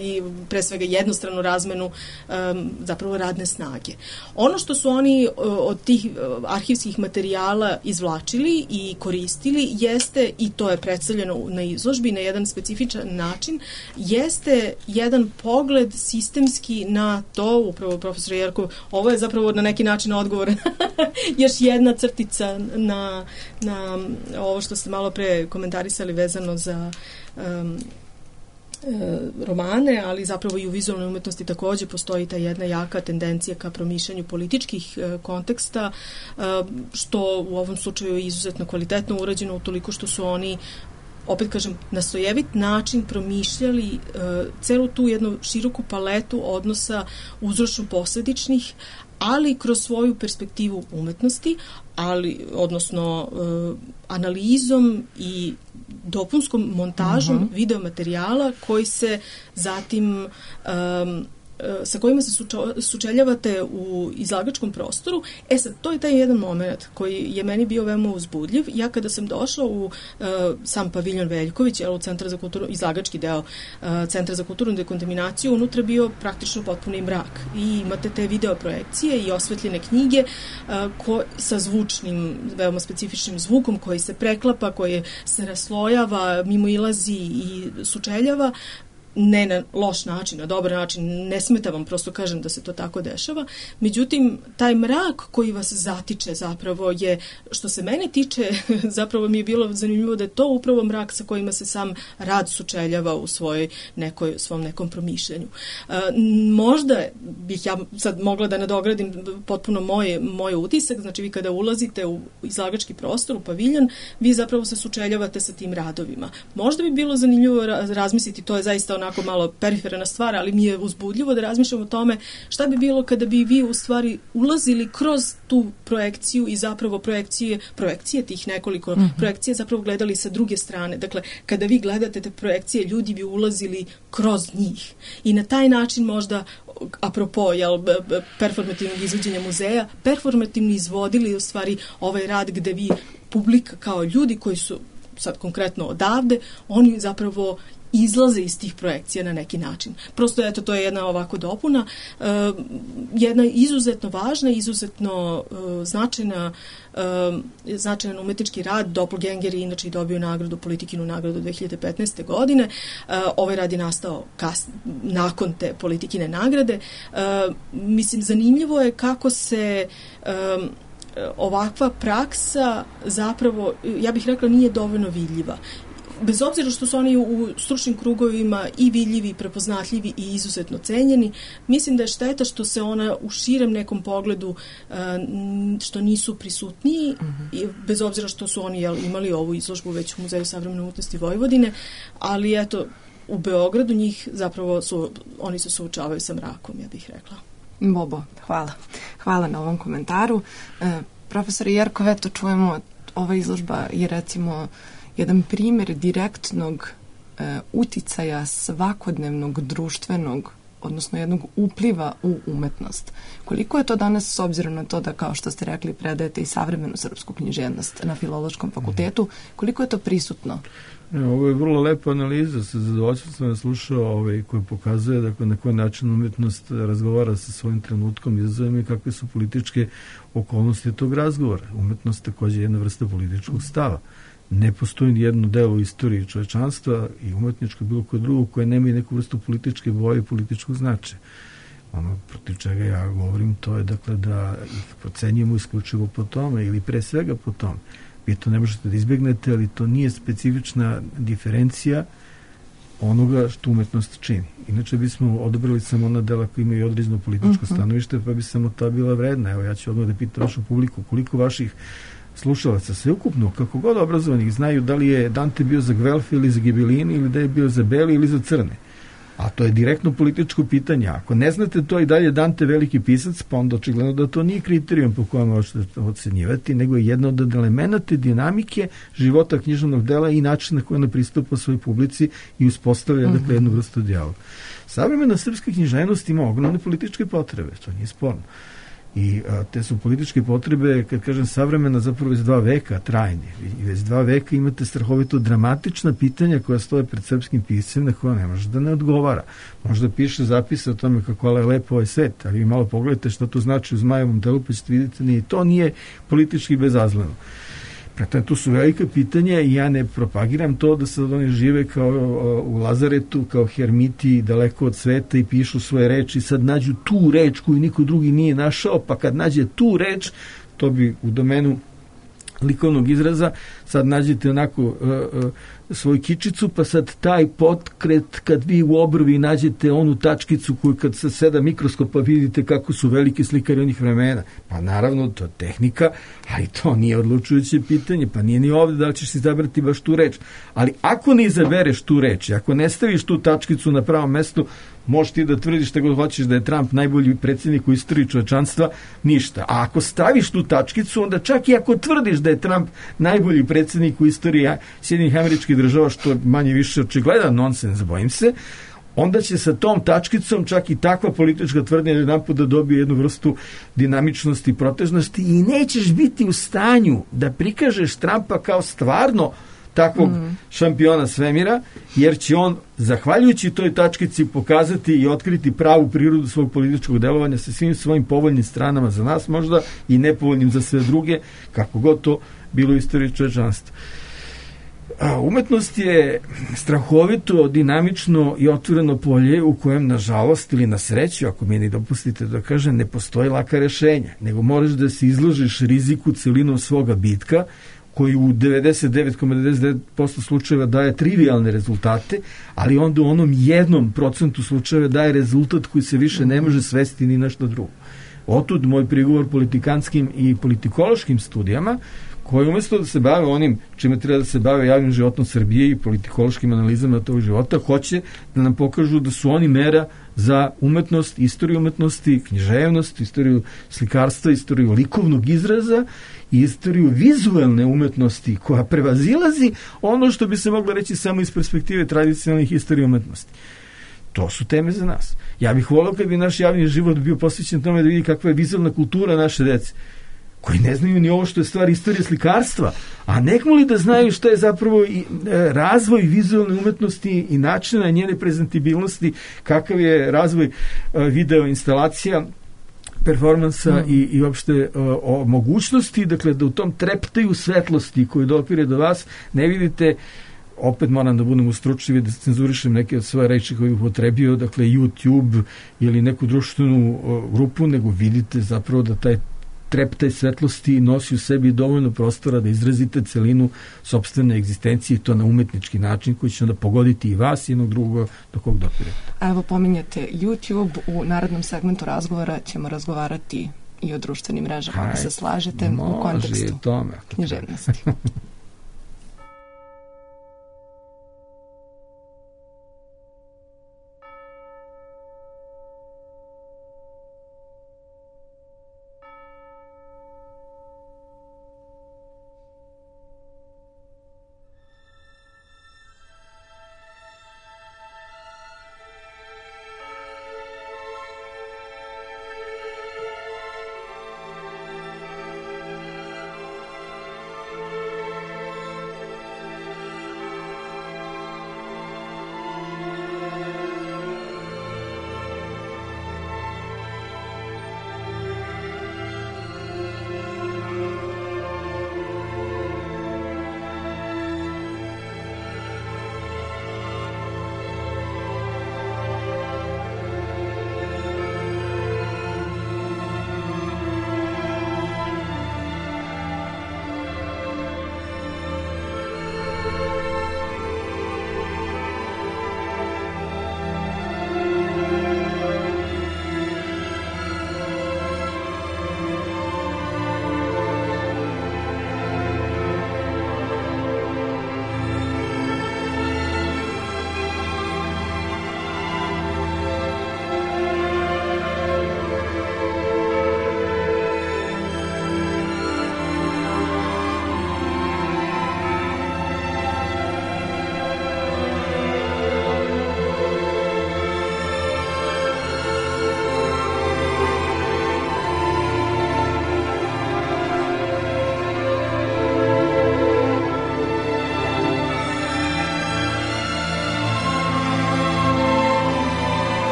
S8: i pre svega jednostranu razmenu zapravo radne snage. Ono što su oni od tih arhivskih materijala izvlačili i koristili jeste, i to je predstavljeno na izložbi na jedan specifičan način, jeste jedan pogled sistemski na to, upravo profesor Jerkov, ovo je zapravo na neki način odgovor još jedna crtica na ovo što ste malo pre komentarisali vezano za romane, ali zapravo i u vizualnoj umetnosti takođe postoji ta jedna jaka tendencija ka promišljanju političkih konteksta, što u ovom slučaju je izuzetno kvalitetno urađeno utoliko što su oni, opet kažem, na slojevit način promišljali celu tu jednu široku paletu odnosa uzročno-posledičnih, ali kroz svoju perspektivu umetnosti, odnosno analizom i dopunskom montažom videomaterijala koji se zatim sa kojima se sučeljavate u izlagačkom prostoru. Sad, to je taj jedan moment koji je meni bio veoma uzbudljiv. Ja kada sam došla u sam paviljon Veljković, u Centar za kulturnu, izlagački deo Centra za kulturnu dekontaminaciju, unutra bio praktično potpuni mrak. I imate te video projekcije i osvetljene knjige sa zvučnim, veoma specifičnim zvukom koji se preklapa, koji se raslojava, mimoilazi i sučeljava, ne na loš način, na dobar način, ne smeta vam, prosto kažem da se to tako dešava. Međutim, taj mrak koji vas zatiče zapravo je, što se mene tiče, zapravo mi je bilo zanimljivo da je to upravo mrak sa kojima se sam rad sučeljava u svom nekom promišljanju. Možda bih ja sad mogla da nadogradim potpuno moj utisak, znači vi kada ulazite u izlagački prostor, u paviljon, vi zapravo se sučeljavate sa tim radovima. Možda bi bilo zanimljivo razmisliti, to je zaista onako malo periferna stvar, ali mi je uzbudljivo da razmišljam o tome šta bi bilo kada bi vi u stvari ulazili kroz tu projekciju i zapravo projekcije tih nekoliko projekcija zapravo gledali sa druge strane. Dakle, kada vi gledate te projekcije, ljudi bi ulazili kroz njih. I na taj način možda, apropo performativnog izvođenja muzeja, performativno izvodili u stvari ovaj rad gde vi, publika kao ljudi koji su sad konkretno odavde, oni zapravo izlaze iz tih projekcija na neki način. Prosto, eto, to je jedna ovako dopuna. Jedna izuzetno važna, izuzetno značajan umetnički rad. Doppelganger je inače i dobio nagradu, Politikinu nagradu 2015. godine. Ovaj rad je nastao nakon te Politikine nagrade. Mislim, zanimljivo je kako se ovakva praksa zapravo, ja bih rekla, nije dovoljno vidljiva. Bez obzira što su oni u stručnim krugovima i vidljivi, i prepoznatljivi i izuzetno cenjeni, mislim da je šteta što se ona u širem nekom pogledu, što nisu prisutniji, bez obzira što su oni imali ovu izložbu već u Muzeju savremene umetnosti Vojvodine, ali eto, u Beogradu njih zapravo oni se suočavaju sa mrakom, ja bih rekla.
S2: Bobo, hvala. Hvala na ovom komentaru. Profesor Jerkov, eto čujemo, ova izložba je recimo jedan primjer direktnog uticaja svakodnevnog društvenog, odnosno jednog upliva u umetnost. Koliko je to danas, s obzirom na to da, kao što ste rekli, predajete i savremenu srpsku književnost na Filološkom fakultetu, koliko je to prisutno?
S3: Ovo je vrlo lepa analiza, sa zadovoljstvom sam vas slušao, koji pokazuje dakle, na koji način umetnost razgovara sa svojim trenutkom, izazovima i kakve su političke okolnosti tog razgovora. Umetnost takođe je jedna vrsta političkog stava. Ne postoji nijedno delo u istoriji čovečanstva i umetničko bilo koje drugo koje nema i neku vrstu političke boje i političkog značaja. Ono protiv čega ja govorim, to je dakle da ih procenjujemo isključivo po tome ili pre svega po tome. Vi to ne možete da izbjegnete, ali to nije specifična diferencija onoga što umetnost čini. Inače bismo odabrali samo ona dela koja imaju određeno političko stanovište, pa bi samo ta bila vredna. Evo, ja ću odmah da pitam vašu publiku koliko vaših slušalaca sveukupno, kako god obrazovanih, znaju da li je Dante bio za Gvelfe ili za Gibellini ili da je bio za Beli ili za Crne. A to je direktno političko pitanje. Ako ne znate to i dalje Dante veliki pisac, pa onda očigledno da to nije kriterijum po kojem možete ocenjivati, nego je jedno od elemenata dinamike života književnog dela i načina na koji ona pristupa svojoj publici i uspostavlja dakle, jednu vrstu dijaloga. Savremena srpska književnost ima ogromne političke potrebe, to nije sporno. I te su političke potrebe, kad kažem savremena, zapravo već 2 veka trajne. I već 2 veka imate strahovito dramatična pitanja koja stoje pred srpskim piscem na koja ne može da ne odgovara. Možda piše zapise o tome kako je lepo ovaj svet, ali vi malo pogledajte šta to znači u Zmajevom telu, pa ćete vidjeti, ni to nije politički bezazleno. Prema tu su velika pitanja i ja ne propagiram to da sad oni žive kao u Lazaretu, kao hermiti daleko od sveta i pišu svoje reči, sad nađu tu reč koju niko drugi nije našao, pa kad nađe tu reč, to bi u domenu likovnog izraza, sad nađete onako svoju kičicu, pa sad taj potkret, kad vi u obrvi nađete onu tačkicu koju kad se seda mikroskopa vidite kako su velike slikari onih vremena. Pa naravno, to je tehnika, ali to nije odlučujuće pitanje, pa nije ni ovde da li ćeš izabrati baš tu reč. Ali ako ne izabereš tu reč, ako ne staviš tu tačkicu na pravom mestu, možeš ti da tvrdiš šta god hoćeš da je Trump najbolji predsjednik u istoriji čovečanstva, ništa. A ako staviš tu tačkicu, onda čak i ako tvrdiš da je Trump najbolji predsjednik u istoriji Sjedinjenih Američkih Država, što je manje više očigledan nonsens, bojim se, onda će sa tom tačkicom čak i takva politička tvrdnja jedanput da dobije jednu vrstu dinamičnosti i protežnosti i nećeš biti u stanju da prikažeš Trumpa kao stvarno takvog šampiona svemira, jer će on, zahvaljujući toj tačkici, pokazati i otkriti pravu prirodu svog političkog delovanja sa svim svojim povoljnim stranama za nas možda i nepovoljnim za sve druge, kako god to bilo u istoriji čovečanstva. Umetnost je strahovito, dinamično i otvoreno polje u kojem, nažalost ili na sreću, ako mi ne dopustite da kažem, ne postoji laka rešenja, nego moraš da se izložiš riziku celinom svoga bitka, koji u 99,99% slučajeva daje trivialne rezultate, ali onda u onom 1% slučajeva daje rezultat koji se više ne može svesti ni nešto drugo. Otud moj prigovor politikanskim i politikološkim studijama, koji umjesto da se bave onim čime treba da se bave javnim životom Srbije i politikološkim analizama tog života, hoće da nam pokažu da su oni mera za umetnost, istoriju umetnosti, književnost, istoriju slikarstva, istoriju likovnog izraza i istoriju vizualne umetnosti koja prevazilazi ono što bi se moglo reći samo iz perspektive tradicionalnih istorije umetnosti. To su teme za nas. Ja bih volio kad bi naš javni život bio posvećen tome da vidi kakva je vizualna kultura naše dece, koji ne znaju ni ovo što je stvar istorije slikarstva, a nekmo li da znaju što je zapravo i razvoj vizualne umetnosti i načina njene prezentabilnosti, kakav je razvoj video instalacija, performansa i uopšte o mogućnosti, dakle, da u tom treptaju svetlosti koju dopire do vas, ne vidite, opet moram da budem ustručljiv da cenzurišem neke od svoje reči koje bih upotrebio, dakle YouTube ili neku društvenu grupu, nego vidite zapravo da taj treptaj svetlosti nosi u sebi dovoljno prostora da izrazite celinu sopstvene egzistencije i to na umetnički način koji će onda pogoditi i vas i jednog drugog do kog dopire.
S2: Evo, pominjate YouTube, u narednom segmentu razgovora ćemo razgovarati i o društvenim mrežama, ako se slažete, u kontekstu književnosti.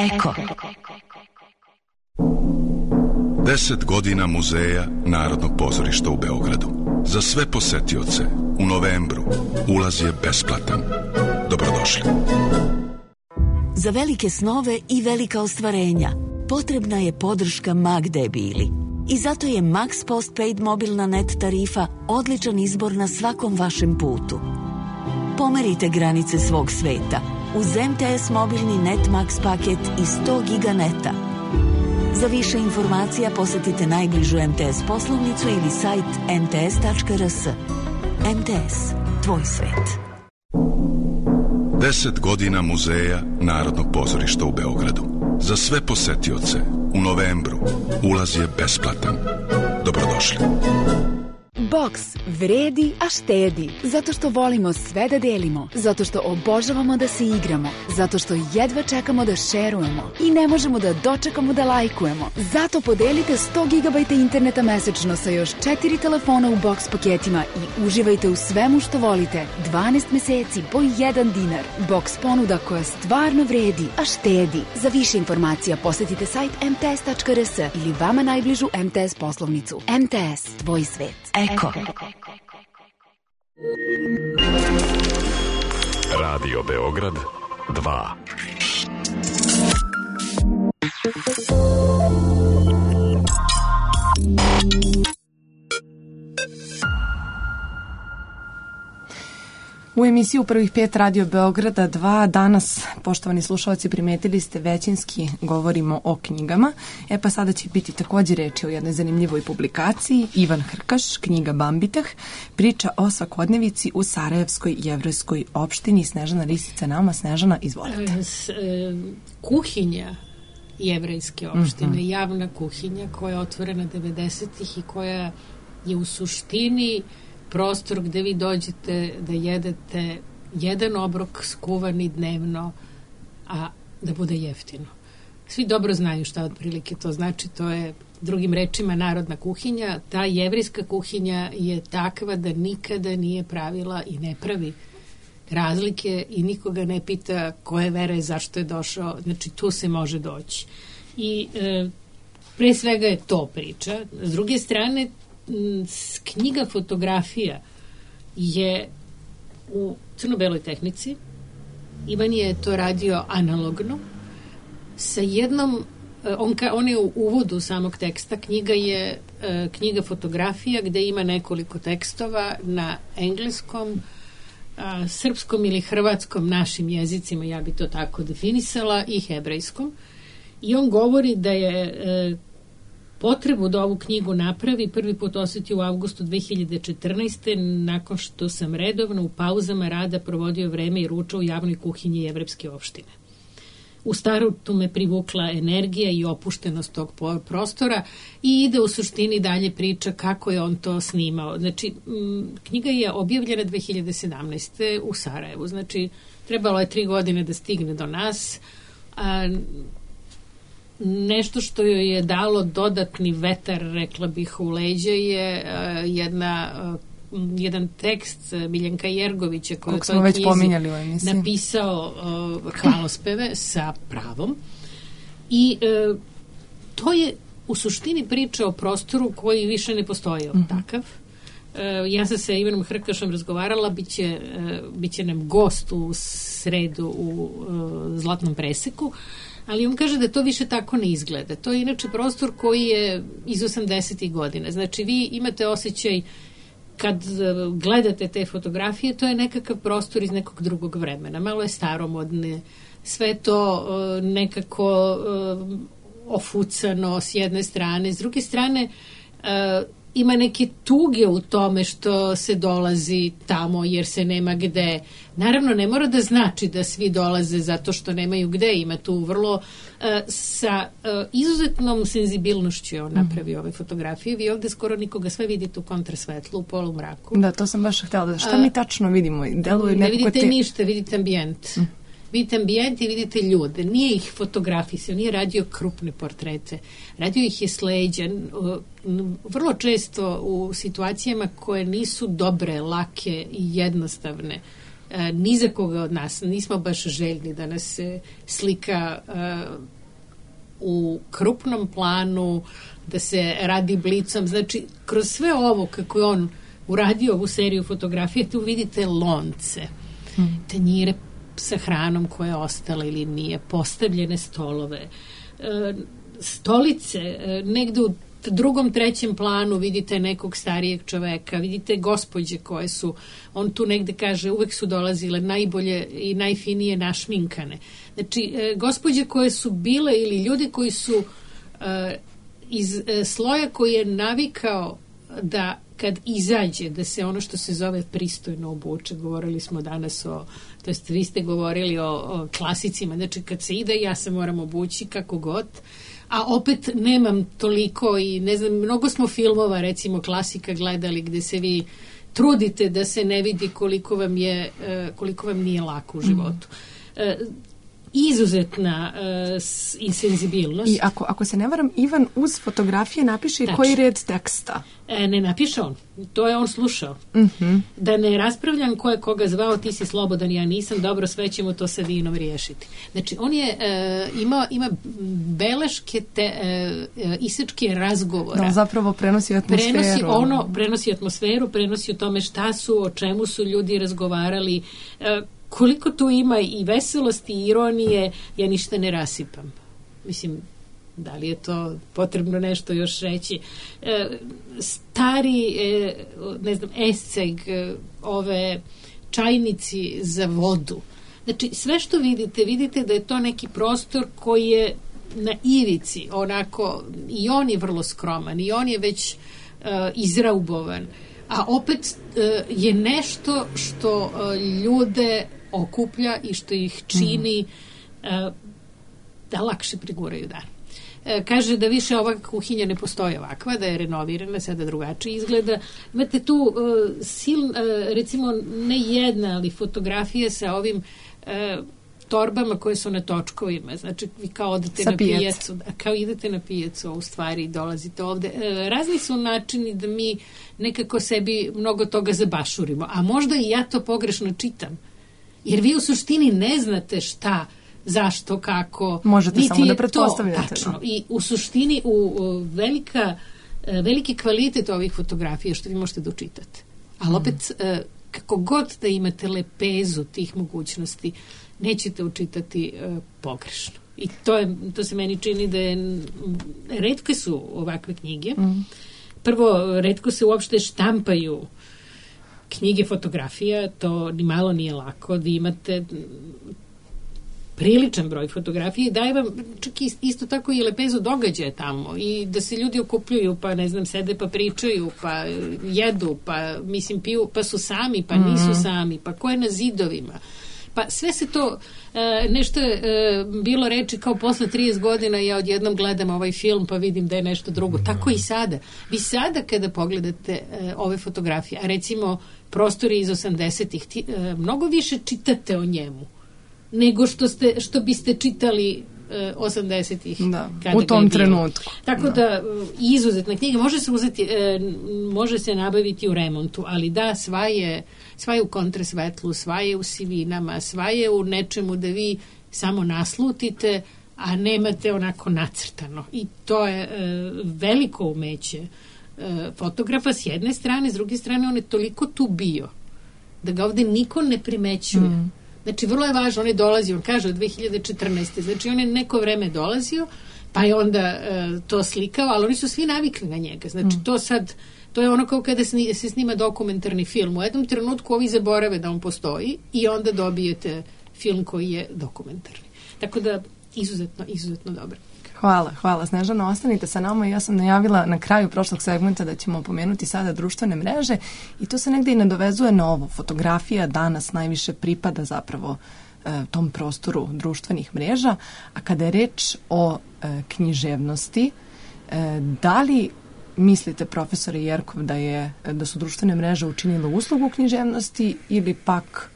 S5: Eko.
S1: 10 godina muzeja Narodnog pozorišta u Beogradu. Za sve posetioce u novembru ulaz je besplatan. Dobrodošli.
S9: Za velike snove i velika ostvarenja potrebna je podrška Magde Bili. I zato je Max Postpaid mobilna net tarifa odličan izbor na svakom vašem putu. Pomerite granice svog sveta uz MTS mobilni Net Max paket i 100 giga neta. Za više informacija posetite najbližu MTS poslovnicu ili sajt mts.rs. MTS, tvoj svet.
S1: 10 godina muzeja Narodnog pozorišta u Beogradu. Za sve posetioce u novembru ulaz je besplatan. Dobrodošli.
S10: Boks vredi, a štedi. Zato što volimo sve da delimo. Zato što obožavamo da se igramo. Zato što jedva čekamo da šerujemo. I ne možemo da dočekamo da lajkujemo. Zato podelite 100 GB interneta mesečno sa još 4 telefona u boks paketima i uživajte u svemu što volite. 12 meseci po 1 dinar. Boks ponuda koja stvarno vredi, a štedi. Za više informacija posetite sajt mts.rs ili vama najbližu MTS poslovnicu. MTS, tvoj svet.
S5: Eko.
S11: Radio Beograd 2.
S2: U emisiju Prvih 5 Radio Beograda 2 danas, poštovani slušalci, primetili ste, većinski govorimo o knjigama. Pa sada će biti također reći o jednoj zanimljivoj publikaciji. Ivan Hrkaš, knjiga Bambitah, priča o svakodnevici u Sarajevskoj jevrejskoj opštini. Snežana Risica nama. Snežana, izvolite.
S12: Kuhinja jevrejske opštine, javna kuhinja koja je otvorena 90-ih i koja je u suštini prostor gde vi dođete da jedete jedan obrok skuvani dnevno, a da bude jeftino. Svi dobro znaju šta otprilike to znači, to je drugim rečima narodna kuhinja. Ta jevrejska kuhinja je takva da nikada nije pravila i ne pravi razlike i nikoga ne pita koje vere, zašto je došao, znači tu se može doći. I pre svega je to priča. S druge strane, knjiga fotografija je u crno-beloj tehnici. Ivan je to radio analogno sa jednom, on je u uvodu samog teksta, knjiga je knjiga fotografija gde ima nekoliko tekstova na engleskom, srpskom ili hrvatskom, našim jezicima, ja bi to tako definisala, i hebrejskom. I on govori da je potrebu da ovu knjigu napravi prvi put osetio u avgustu 2014. nakon što sam redovno u pauzama rada provodio vreme i ručao u javnoj kuhinji jevrejske opštine. U startu me privukla energija i opuštenost tog prostora i ide u suštini dalje priča kako je on to snimao. Znači, knjiga je objavljena 2017. u Sarajevu. Znači, trebalo je 3 godine da stigne do nas. Nešto što joj je dalo dodatni vetar, rekla bih, u leđa je jedan tekst Miljenka Jergovića koji je toj knjizi napisao hvalospeve sa pravom. I to je u suštini priča o prostoru koji više ne postoji takav. Ja sam sa Ivanom Hrkašom razgovarala, biće nam gost u sredu u Zlatnom preseku, ali on kaže da to više tako ne izgleda. To je inače prostor koji je iz 80. godina. Znači, vi imate osjećaj kad gledate te fotografije, to je nekakav prostor iz nekog drugog vremena. Malo je staromodne, sve to nekako ofucano s jedne strane. S druge strane, ima neke tuge u tome što se dolazi tamo jer se nema gde. Naravno, ne mora da znači da svi dolaze zato što nemaju gde. Ima tu vrlo sa izuzetnom senzibilnošću je on napravio ove fotografije. Vi ovde skoro nikoga, sve vidite u kontrasvetlu, u polumraku.
S2: Da, to sam baš htjela. Šta mi tačno vidimo?
S12: Ne vidite ništa, vidite ambijent. Vidite ambijent i vidite ljude. Nije ih fotografisao, nije radio krupne portrete. Radio ih je s leđa. Vrlo često u situacijama koje nisu dobre, lake i jednostavne. ni za koga od nas nismo baš željni da nas se slika u krupnom planu, da se radi blicom. Znači, kroz sve ovo kako je on uradio ovu seriju fotografije, tu vidite lonce, tanjire sa hranom koja je ostala ili nije, postavljene stolove, stolice, negde u drugom, trećem planu vidite nekog starijeg čoveka, vidite gospođe koje su, on tu negde kaže, uvek su dolazile najbolje i najfinije našminkane. Znači, gospođe koje su bile ili ljudi koji su iz sloja koji je navikao da kad izađe, da se ono što se zove pristojno obuče, govorili smo danas to jest vi ste govorili o klasicima, znači kad se ide ja se moram obući kako god, a opet nemam toliko i ne znam, mnogo smo filmova recimo klasika gledali gde se vi trudite da se ne vidi koliko vam nije lako u životu. Izuzetna insenzibilnost.
S2: I ako se ne varam, Ivan uz fotografije napiše i koji red teksta?
S12: Ne napiše on. To je on slušao. Da ne raspravljam ko je koga zvao, ti si slobodan, ja nisam, dobro, sve ćemo to sa vinom riješiti. Znači, on je ima beleške isečke razgovora.
S2: Da, zapravo prenosi atmosferu.
S12: Prenosi atmosferu, prenosi o tome šta su, o čemu su ljudi razgovarali, koliko tu ima i veselosti i ironije, ja ništa ne rasipam. Mislim, da li je to potrebno nešto još reći? Stari, ne znam, esceg, ove čajnici za vodu. Znači, sve što vidite da je to neki prostor koji je na ivici, onako, i on je vrlo skroman, i on je već izraubovan, a opet je nešto što ljude okuplja i što ih čini da lakše preguraju dan. Kaže da više ova kuhinja ne postoji ovakva, da je renovirana, sada drugačije izgleda. Imate tu recimo ne jedna, ali fotografije sa ovim torbama koje su na točkovima. Znači, vi kao odete na pijacu, kao idete na pijacu, a u stvari dolazite ovde. Razni su načini da mi nekako sebi mnogo toga zabašurimo, a možda i ja to pogrešno čitam. Jer vi u suštini ne znate šta, zašto, kako.
S2: Možete samo da pretpostavljate.
S12: Tačno. I u suštini veliki kvalitet ovih fotografija što vi možete da učitate. Ali opet, kako god da imate lepezu tih mogućnosti, nećete učitati pogrešno. I to se meni čini da je, retke su ovakve knjige. Prvo, retko se uopšte štampaju knjige fotografija, to ni malo nije lako, da imate priličan broj fotografije, daje vam čak isto tako i lepezu događaja tamo i da se ljudi okupljuju, pa ne znam, sede pa pričaju, pa jedu, pa mislim piju, pa su sami, pa nisu sami, pa ko je na zidovima. Pa sve se to, nešto je bilo reči kao posle 30 godina ja odjednom gledam ovaj film pa vidim da je nešto drugo. Tako i sada. Vi sada kada pogledate ove fotografije, a recimo prostori iz 80-ih, mnogo više čitate o njemu nego što biste čitali 80-ih.
S2: U tom trenutku.
S12: Tako da izuzetna knjiga može se nabaviti u remontu, ali da, sva je u kontrasvetlu, sva je u sivinama, sva je u nečemu da vi samo naslutite, a nemate onako nacrtano. I to je veliko umeće fotografa s jedne strane, s druge strane on je toliko tu bio da ga ovde niko ne primećuje. Znači, vrlo je važno, on je dolazio, on kaže od 2014. Znači, on je neko vreme dolazio, pa je onda to slikao, ali oni su svi navikli na njega. Znači, to je ono kao kada se snima dokumentarni film. U jednom trenutku ovi zaborave da on postoji i onda dobijete film koji je dokumentarni. Tako da, izuzetno dobro.
S2: Hvala. Snežana, ostanite sa nama. Ja sam najavila na kraju prošlog segmenta da ćemo pomenuti sada društvene mreže i to se negde i nadovezuje na ovo. Fotografija danas najviše pripada zapravo tom prostoru društvenih mreža, a kada je reč o književnosti, da li mislite, profesore Jerkov, da su društvene mreže učinile uslugu književnosti ili pak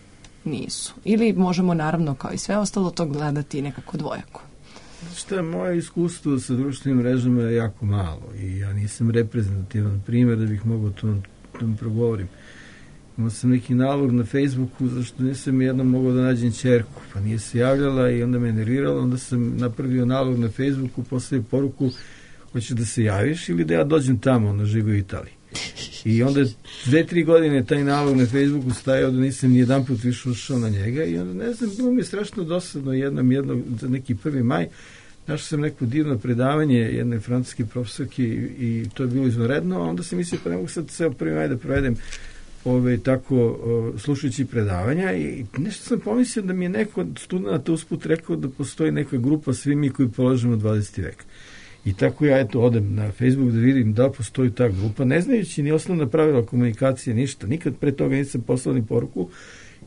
S2: nisu? Ili možemo, naravno, kao i sve ostalo, to gledati nekako dvojako?
S3: Šta, moje iskustvo sa društvenim mrežama je jako malo i ja nisam reprezentativan primjer da bih mogao to da progovorim. imao sam neki nalog na Facebooku, zašto nisam jednom mogao da nađem ćerku, pa nije se javljala i onda me nervirala, onda sam napravio nalog na Facebooku, postavio poruku, hoćeš da se javiš ili da ja dođem tamo, ona živi u Italiji. I onda 2-3 godine taj nalog na Facebooku stajao da nisam ni jedan put više ušao na njega i onda, ne znam, bilo mi je strašno dosadno za neki 1. maj, našao sam neko divno predavanje jedne francuske profesorke i to je bilo izvanredno, a onda sam mislio pa ne mogu sad ceo 1. maj da provedem tako slušajući predavanja i nešto sam pomislio da mi je neko od studenta usput rekao da postoji neka grupa svi mi koji polažemo 20. vek. I tako ja odem na Facebook da vidim da postoji ta grupa, ne znajući ni osnovna pravila komunikacije, ništa. Nikad pre toga nisam poslao ni poruku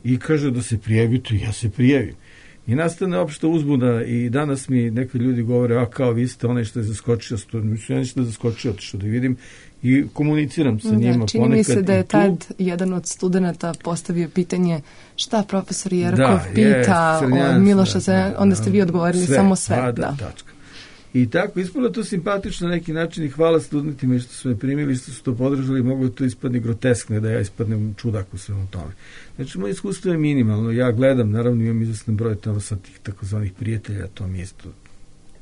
S3: i kaže da se prijavite i ja se prijavim. I nastane opšta uzbuna i danas mi neki ljudi govore, kao vi ste onaj što je zaskočio, ja ništa zaskočio, otišao da vidim i komuniciram sa njima.
S2: Čini mi se da je tad jedan od studenta postavio pitanje šta profesor Jerkov pita od Miloša, onda ste vi odgovorili samo sve.
S3: Tačka. I tako, ispalo to simpatično na neki način i hvala studentima što su me primili, što su to podržali, mogu to ispadne groteskno da ja ispadnem čudak u svemu tome. Znači, moje iskustvo je minimalno, ja gledam, naravno imam izvestan broj tamo sa tih takozvanih prijatelja, to mi je isto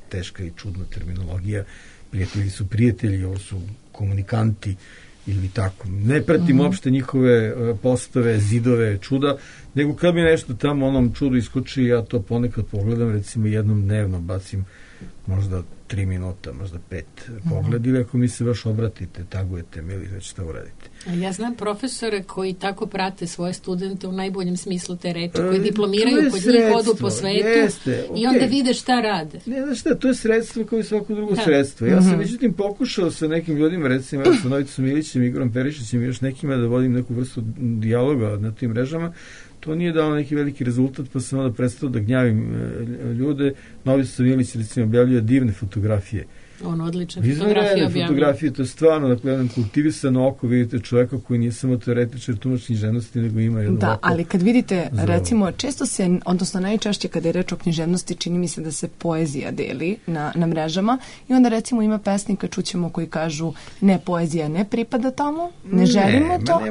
S3: teška i čudna terminologija, prijatelji su prijatelji, ovo su komunikanti ili tako. Ne pratim uopšte njihove postove, zidove, čuda, nego kad mi nešto tamo onom čudu iskoči, ja to ponekad pogledam, recimo jednom dnevno bacim možda 3 minuta, možda 5 pogled ili ako mi se baš obratite, tagujete mi ili već šta uradite.
S12: Ja znam profesore koji tako prate svoje studente u najboljem smislu te reči, koji diplomiraju kod njih, odu po svetu i onda vide šta rade.
S3: Ne, znaš šta, to je sredstvo kao i svako drugo sredstvo. Ja sam međutim pokušao sa nekim ljudima, recimo sa Novicom Ilićem, Igorom Perišićem i još nekima da vodim neku vrstu dijaloga na tim mrežama. To nije dao neki veliki rezultat, pa sam onda prestao da gnjavim ljude. Novica Ilić recimo objavljuje divne fotografije.
S12: On odlične fotografije objavljuje.
S3: Fotografije, to je stvarno, dakle, jedan kultivisano oko, vidite čoveka koji nije samo teoretičar tumač književnosti, nego ima jedno oko.
S2: Da, ali kad vidite, recimo, često se, odnosno najčešće kada je reč o književnosti, čini mi se da se poezija deli na mrežama i onda recimo ima pesnika, čućemo, koji kažu ne, poezija ne pripada tamo, ne želimo to,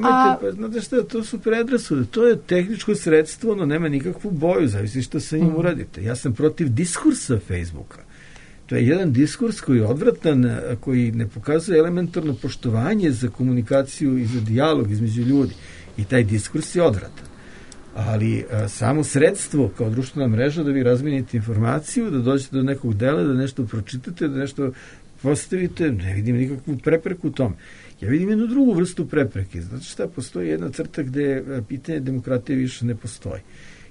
S3: znate šta, to su predrasude, to je tehničko sredstvo, ono nema nikakvu boju, zavisi što sa njim uradite. Ja sam protiv diskursa Facebooka. To je jedan diskurs koji je odvratan, koji ne pokazuje elementarno poštovanje za komunikaciju i za dijalog između ljudi. I taj diskurs je odvratan. Ali samo sredstvo kao društvena mreža da vi razmijenite informaciju, da dođete do nekog dela, da nešto pročitate, da nešto postavite, ne vidim nikakvu prepreku u tom. Ja vidim jednu drugu vrstu prepreke. Znači šta, postoji jedna crta gde pitanje demokratije više ne postoji.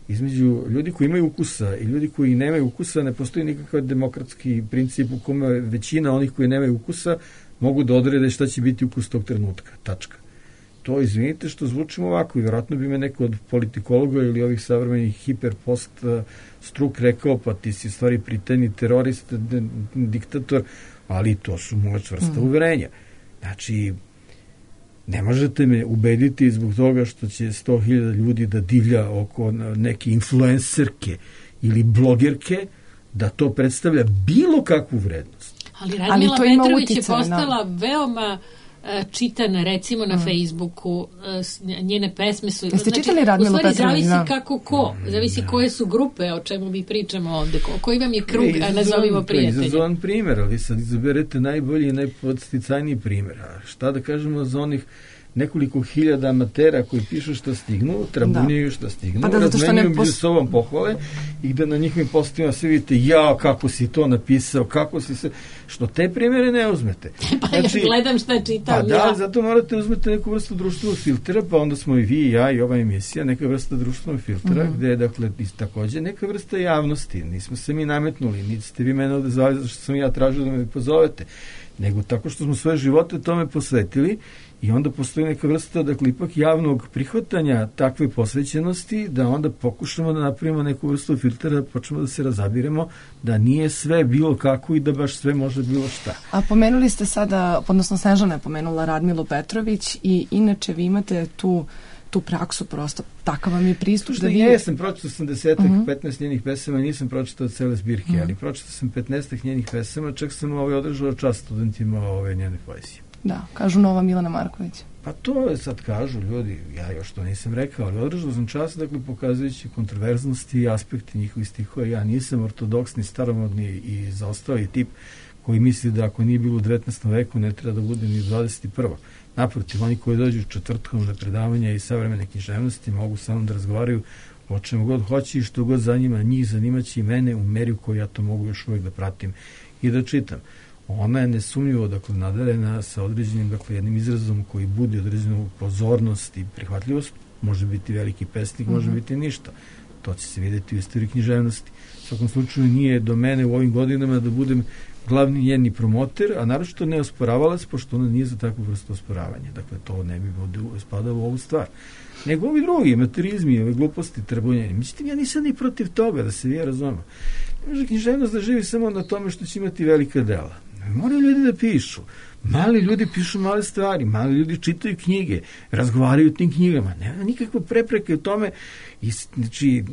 S3: Između ljudi koji imaju ukusa i ljudi koji nemaju ukusa ne postoji nikakav demokratski princip u kome većina onih koji nemaju ukusa mogu da odrede šta će biti ukus tog trenutka. Tačka. To, izvinite što zvučimo ovako i vjerojatno bi me neko od politikologa ili ovih savremenih hiperpost struk rekao, pa ti si stvari pritajni terorist, diktator, ali to su moja čvrsta uverenja. Znači, ne možete me ubediti zbog toga što će 100.000 ljudi da divlja oko neke influencerke ili blogerke, da to predstavlja bilo kakvu vrednost.
S12: Ali Radmila Petrović je postala veoma čitana, recimo na Facebooku, njene pesme su...
S2: Jeste čitali Radmilu Petrović?
S12: U stvari zavisi kako ko, zavisi koje su grupe, o čemu mi pričamo ovde, koji vam je krug, a nazovimo prijatelji.
S3: To je izazovan primjer, ali sad izaberete najbolji i najpodsticajniji primjer. A šta da kažemo za onih nekoliko hiljada amatera koji pišu što stignu, trabunjaju što stignu, razmenjuju među sobom pohvale i da na njihovim postovima sve vidite, kako si to napisao, kako si se... Što te primjere ne uzmete.
S12: Pa znači, ja gledam šta čitam.
S3: Pa da, zato morate uzmeti neku vrstu društvenog filtera, pa onda smo i vi i ja i ova emisija, neka vrsta društvenog filtera, gde je, dakle, takođe neka vrsta javnosti. Nismo se mi nametnuli, niti ste vi mene ovde zvali zašto sam ja tražio da me pozovete, nego tako što smo svoje živote tome posvetili. I onda postoji neka vrsta, dakle, ipak javnog prihvatanja takve posvećenosti, da onda pokušamo da napravimo neku vrstu filtera, počnemo da se razabiremo, da nije sve bilo kako i da baš sve može bilo šta.
S2: A pomenuli ste sada, odnosno Snežana je pomenula Radmilu Petrović i inače vi imate tu praksu, prosto takav vam je pristup.
S3: Da ja sam pročitao 15 njenih pesama, nisam pročitao cele zbirke, ali pročitao sam 15 njenih pesama, čak sam održao čast studentima njene poezije.
S2: Da, kažu nova Milana Marković.
S3: Pa to je sad kažu ljudi, ja još to nisam rekao, ali održao sam čas, dakle, pokazujući kontroverznosti i aspekte njihovih stihova. Ja nisam ortodoksni, staromodni i zaostali tip koji misli da ako nije bilo u 19. veku ne treba da bude ni u 21. Naprotiv, oni koji dođu četvrtkom na predavanja i savremene književnosti mogu samo da razgovaraju o čemu god hoće i što god zanima njih, zanimaće i mene u meri u kojoj ja to mogu još uvijek da pratim i da čitam. Ona je nesumnjivo, dakle, nadarena sa određenim, dakle, jednim izrazom koji budi određenu pozornost i prihvatljivost. Može biti veliki pesnik, može biti ništa. To će se vidjeti u istoriji književnosti. U svakom slučaju nije do mene u ovim godinama da budem glavni njeni promoter, a naročito ne osporavalac, pošto ona nije za takvu vrstu osporavanja. Dakle, to ne bi spadalo u ovu stvar. Nego ovi drugi, materizmi, ove gluposti, trabunjeni. Međutim, ja nisam ni protiv toga, da se vi razumemo. Ne može književnost da živi samo na tome što će imati velika dela. Moraju ljudi da pišu. Mali ljudi pišu male stvari, mali ljudi čitaju knjige, razgovaraju o tim knjigama. Nema nikakve prepreke u tome. Znači,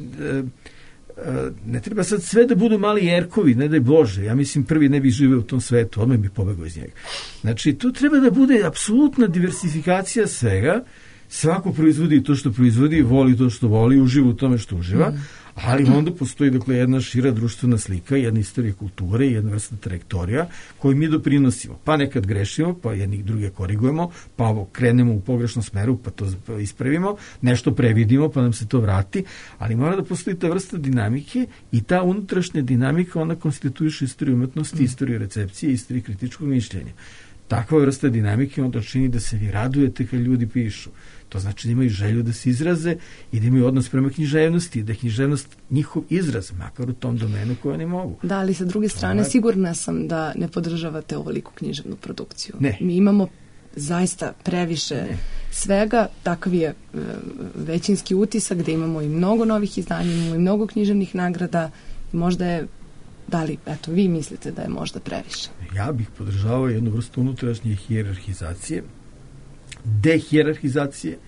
S3: ne treba sad sve da budu mali Jerkovi, ne daj Bože. Ja mislim, prvi ne bi živeo u tom svetu, odmah bi pobegao iz njega. Znači, tu treba da bude apsolutna diversifikacija svega. Svako proizvodi to što proizvodi, voli to što voli, uživa u tome što uživa, ali onda postoji, dakle, jedna šira društvena slika, jedna istorija kulture, jedna vrsta trajektorija koju mi doprinosimo. Pa nekad grešimo, pa jednih druge korigujemo, pa krenemo u pogrešnom smeru, pa to ispravimo, nešto previdimo, pa nam se to vrati, ali mora da postoji ta vrsta dinamike i ta unutrašnja dinamika, ona konstituiše istoriju umetnosti, istoriju recepcije, istoriju kritičkog mišljenja. Takva vrsta dinamike onda čini da se vi radujete kad ljudi pišu. To znači da imaju želju da se izraze i da imaju odnos prema književnosti, da je književnost njihov izraz, makar u tom domenu koje oni mogu.
S2: Da, ali sa druge strane sigurna sam da ne podržavate ovoliku književnu produkciju.
S3: Ne.
S2: Mi imamo zaista previše svega, takav je većinski utisak da imamo i mnogo novih izdanja, imamo i mnogo književnih nagrada, možda je, da li, eto, vi mislite da je možda previše?
S3: Ja bih podržavao jednu vrstu unutrašnje hijerarhizacije, dehijerarhizacije,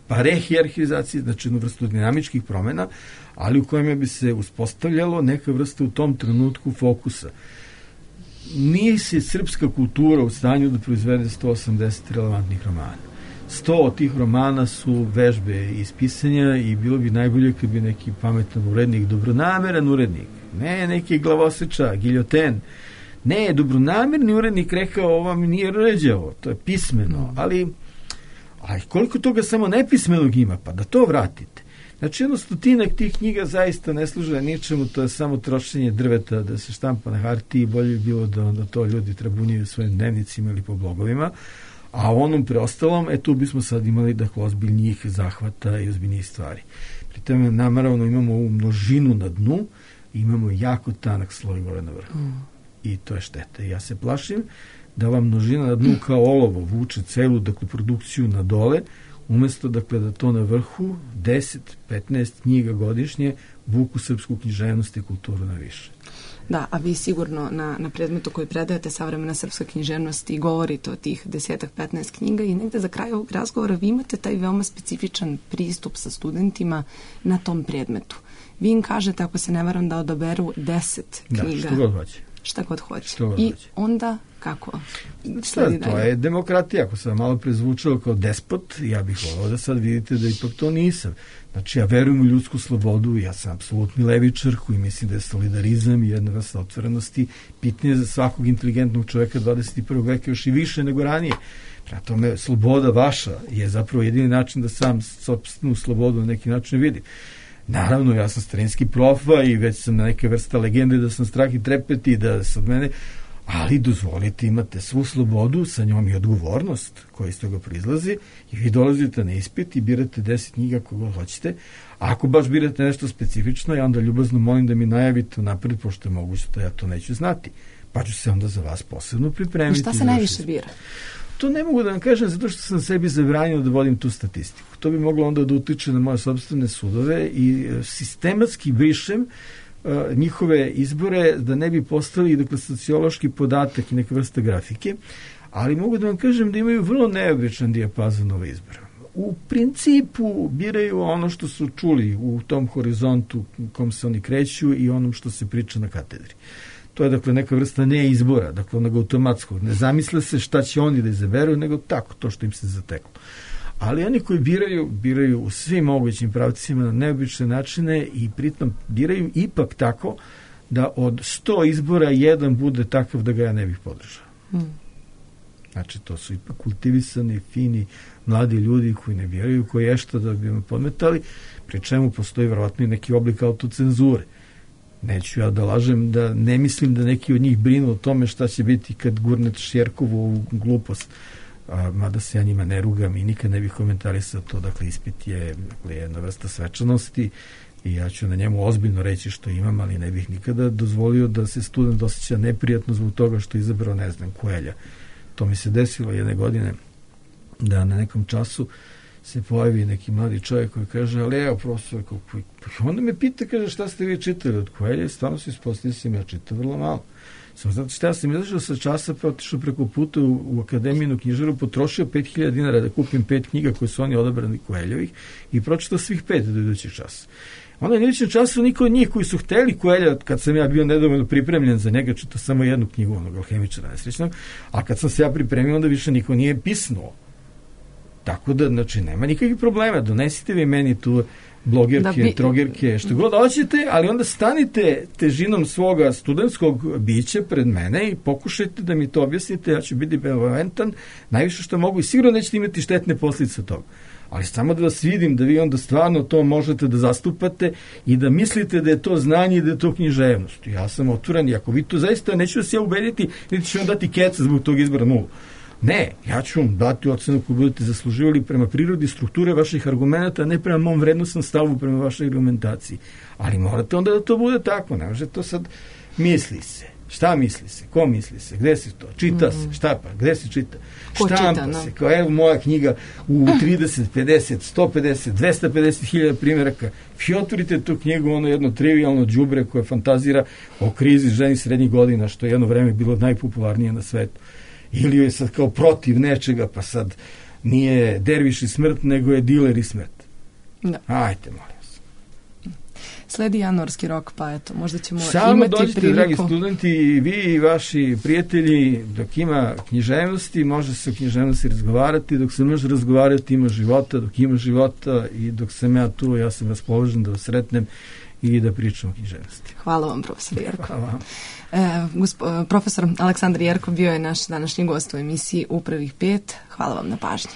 S3: pa rehijerarhizacije, znači jednu vrstu dinamičkih promjena, ali u kojima bi se uspostavljalo neka vrsta u tom trenutku fokusa. Nije se srpska kultura u stanju da proizvede 180 relevantnih romana. 100 od tih romana su vežbe iz pisanja i bilo bi najbolje kad bi neki pametan urednik, dobronameran urednik, ne neki glavoseča, giljoten, ne, dobronamerni urednik rekao ovo mi nije ređavo, to je pismeno, ali koliko toga samo nepismenog ima, pa da to vratite. Znači, 100 tih knjiga zaista ne služe ničemu, to je samo trošenje drveta da se štampa na hartiji, bolje bi bilo da onda to ljudi trabunjaju svojim dnevnicima ili po blogovima, a u onom preostalom, tu bismo sad imali dakle ozbiljnijih zahvata i ozbiljnijih stvari. Pri tome, naravno, imamo ovu množinu na dnu, imamo jako tanak sloj gore na vrhu. I to je šteta. Ja se plašim da ova množina na dnu kao olovo vuče celu, dakle, produkciju na dole, umjesto, dakle, da to na vrhu 10-15 knjiga godišnje vuku srpsku književnost i kulturu na više.
S2: Da, a vi sigurno na predmetu koji predajete savremena srpska književnost i govorite o tih 10-15 knjiga i negde za kraj ovog razgovora vi imate taj veoma specifičan pristup sa studentima na tom predmetu. Vi im kažete, ako se ne varam, da odaberu 10 knjiga.
S3: Da, što god hoće.
S2: Šta god hoće. I onda kako?
S3: To je demokratija. Ako sam malo prezvučao kao despot, ja bih volao da sad vidite da ipak to nisam. Znači, ja verujem u ljudsku slobodu, ja sam apsolutni levičar koji mislim da je solidarizam i jedna vrsta otvorenosti pitnije za svakog inteligentnog čovjeka 21. veka još i više nego ranije. Prema tome, sloboda vaša je zapravo jedini način da sam sopstvenu slobodu na neki način vidim. Naravno, ja sam starinski profa i već sam na neke vrsta legende da sam strah i trepet i da se od mene, ali dozvolite, imate svu slobodu, sa njom i odgovornost koja iz toga proizlazi i vi dolazite na ispit i birate 10 knjiga koga hoćete, a ako baš birate nešto specifično, ja onda ljubazno molim da mi najavite napred, pošto je moguće da ja to neću znati, pa ću se onda za vas posebno pripremiti.
S2: I šta se najviše bira?
S3: To ne mogu da vam kažem zato što sam sebi zabranio da vodim tu statistiku. To bi moglo onda da utiče na moje sopstvene sudove i sistematski brišem njihove izbore da ne bi postali, dakle, sociološki podatak i neka vrsta grafike, ali mogu da vam kažem da imaju vrlo neobičan dijapazon ove izbora. U principu biraju ono što su čuli u tom horizontu u kom se oni kreću i onom što se priča na katedri. To je dakle neka vrsta neizbora, dakle onog automatskog. Ne zamisle se šta će oni da izaberu, nego tako, to što im se zateklo. Ali oni koji biraju u svim mogućim pravcima na neobične načine i pritom biraju ipak tako da od 100 izbora jedan bude takav da ga ja ne bih podržao. Znači, to su ipak kultivisani, fini, mladi ljudi koji ne biraju, koji ješta da bi me podmetali, pri čemu postoji verovatno i neki oblik autocenzure. Neću ja da lažem da ne mislim da neki od njih brinu o tome šta će biti kad gurne Šjerkovu u glupost. Mada se ja njima ne rugam i nikad ne bih komentarisao to. Dakle, ispit je jedna vrsta svečanosti i ja ću na njemu ozbiljno reći što imam, ali ne bih nikada dozvolio da se student osjeća neprijatno zbog toga što je izabrao, ne znam, Koelja. To mi se desilo jedne godine da na nekom času se pojavi neki mladi čovjek koji kaže, ali evo profesor, onda me pita, kaže, šta ste vi čitali od Koelja, i stvarno se ispostavio sam ja čitao vrlo malo. Samo znate šta, ja sam izašao sa časa, pa otišao preko puta u Akademijinu knjižaru, potrošio 5.000 dinara da kupim 5 knjiga koje su oni odabrani Koeljovih i pročitao svih 5 do idućeg časa. Onda na idućem času niko od njih koji su hteli Koelja, kad sam ja bio nedovoljno pripremljen za njega, čitao samo jednu knjigu onog alhemičara nesrećnog, a kad sam se ja pripremio, onda više niko nije pisnuo. Tako da, znači, nema nikakvih problema, donesite vi meni tu blogerke, trogerke, što god hoćete, ali onda stanite težinom svoga studentskog bića pred mene i pokušajte da mi to objasnite, ja ću biti benevolentan, najviše što mogu i sigurno nećete imati štetne posljedice od toga. Ali samo da vas vidim, da vi onda stvarno to možete da zastupate i da mislite da je to znanje i da je to književnost. Ja sam otvoren i ako vi to zaista, neću vas ja ubediti, niti ću vam dati keca zbog tog izbora 0. Ne, ja ću vam dati ocenu koju budete zasluživali prema prirodi strukture vaših argumenta, ne prema mom vrednostnom stavu prema vašoj argumentaciji. Ali morate onda da to bude tako, ne može to sad misli se. Šta misli se? Ko misli se? Gde se to? Čita se? Šta pa? Gde se čita? Štampa se. Kao evo moja knjiga u 30, 50, 150, 250 hiljada primjeraka. Vi otvorite tu knjigu, ono jedno trivialno đubre koje fantazira o krizi ženi srednjih godina, što je jedno vreme bilo najpopularnije na svetu. Ili je sad kao protiv nečega, pa sad nije derviš i smrt, nego je diler i smrt. Da. Ajte, molim vas.
S2: Sledi januarski rok, pa eto, možda ćemo
S3: samo
S2: imati
S3: dođite,
S2: priliku.
S3: dragi studenti, vi i vaši prijatelji, dok ima književnosti, može se o književnosti razgovarati, dok se može razgovarati, ima života, dok ima života i dok sam ja tu, ja sam raspoložen da vas sretnem i da pričam o književnosti.
S2: Hvala vam, profesor Jerko.
S3: Hvala vam.
S2: Profesor Aleksandar Jerko bio je naš današnji gost u emisiji U prvih 5. Hvala vam na pažnji.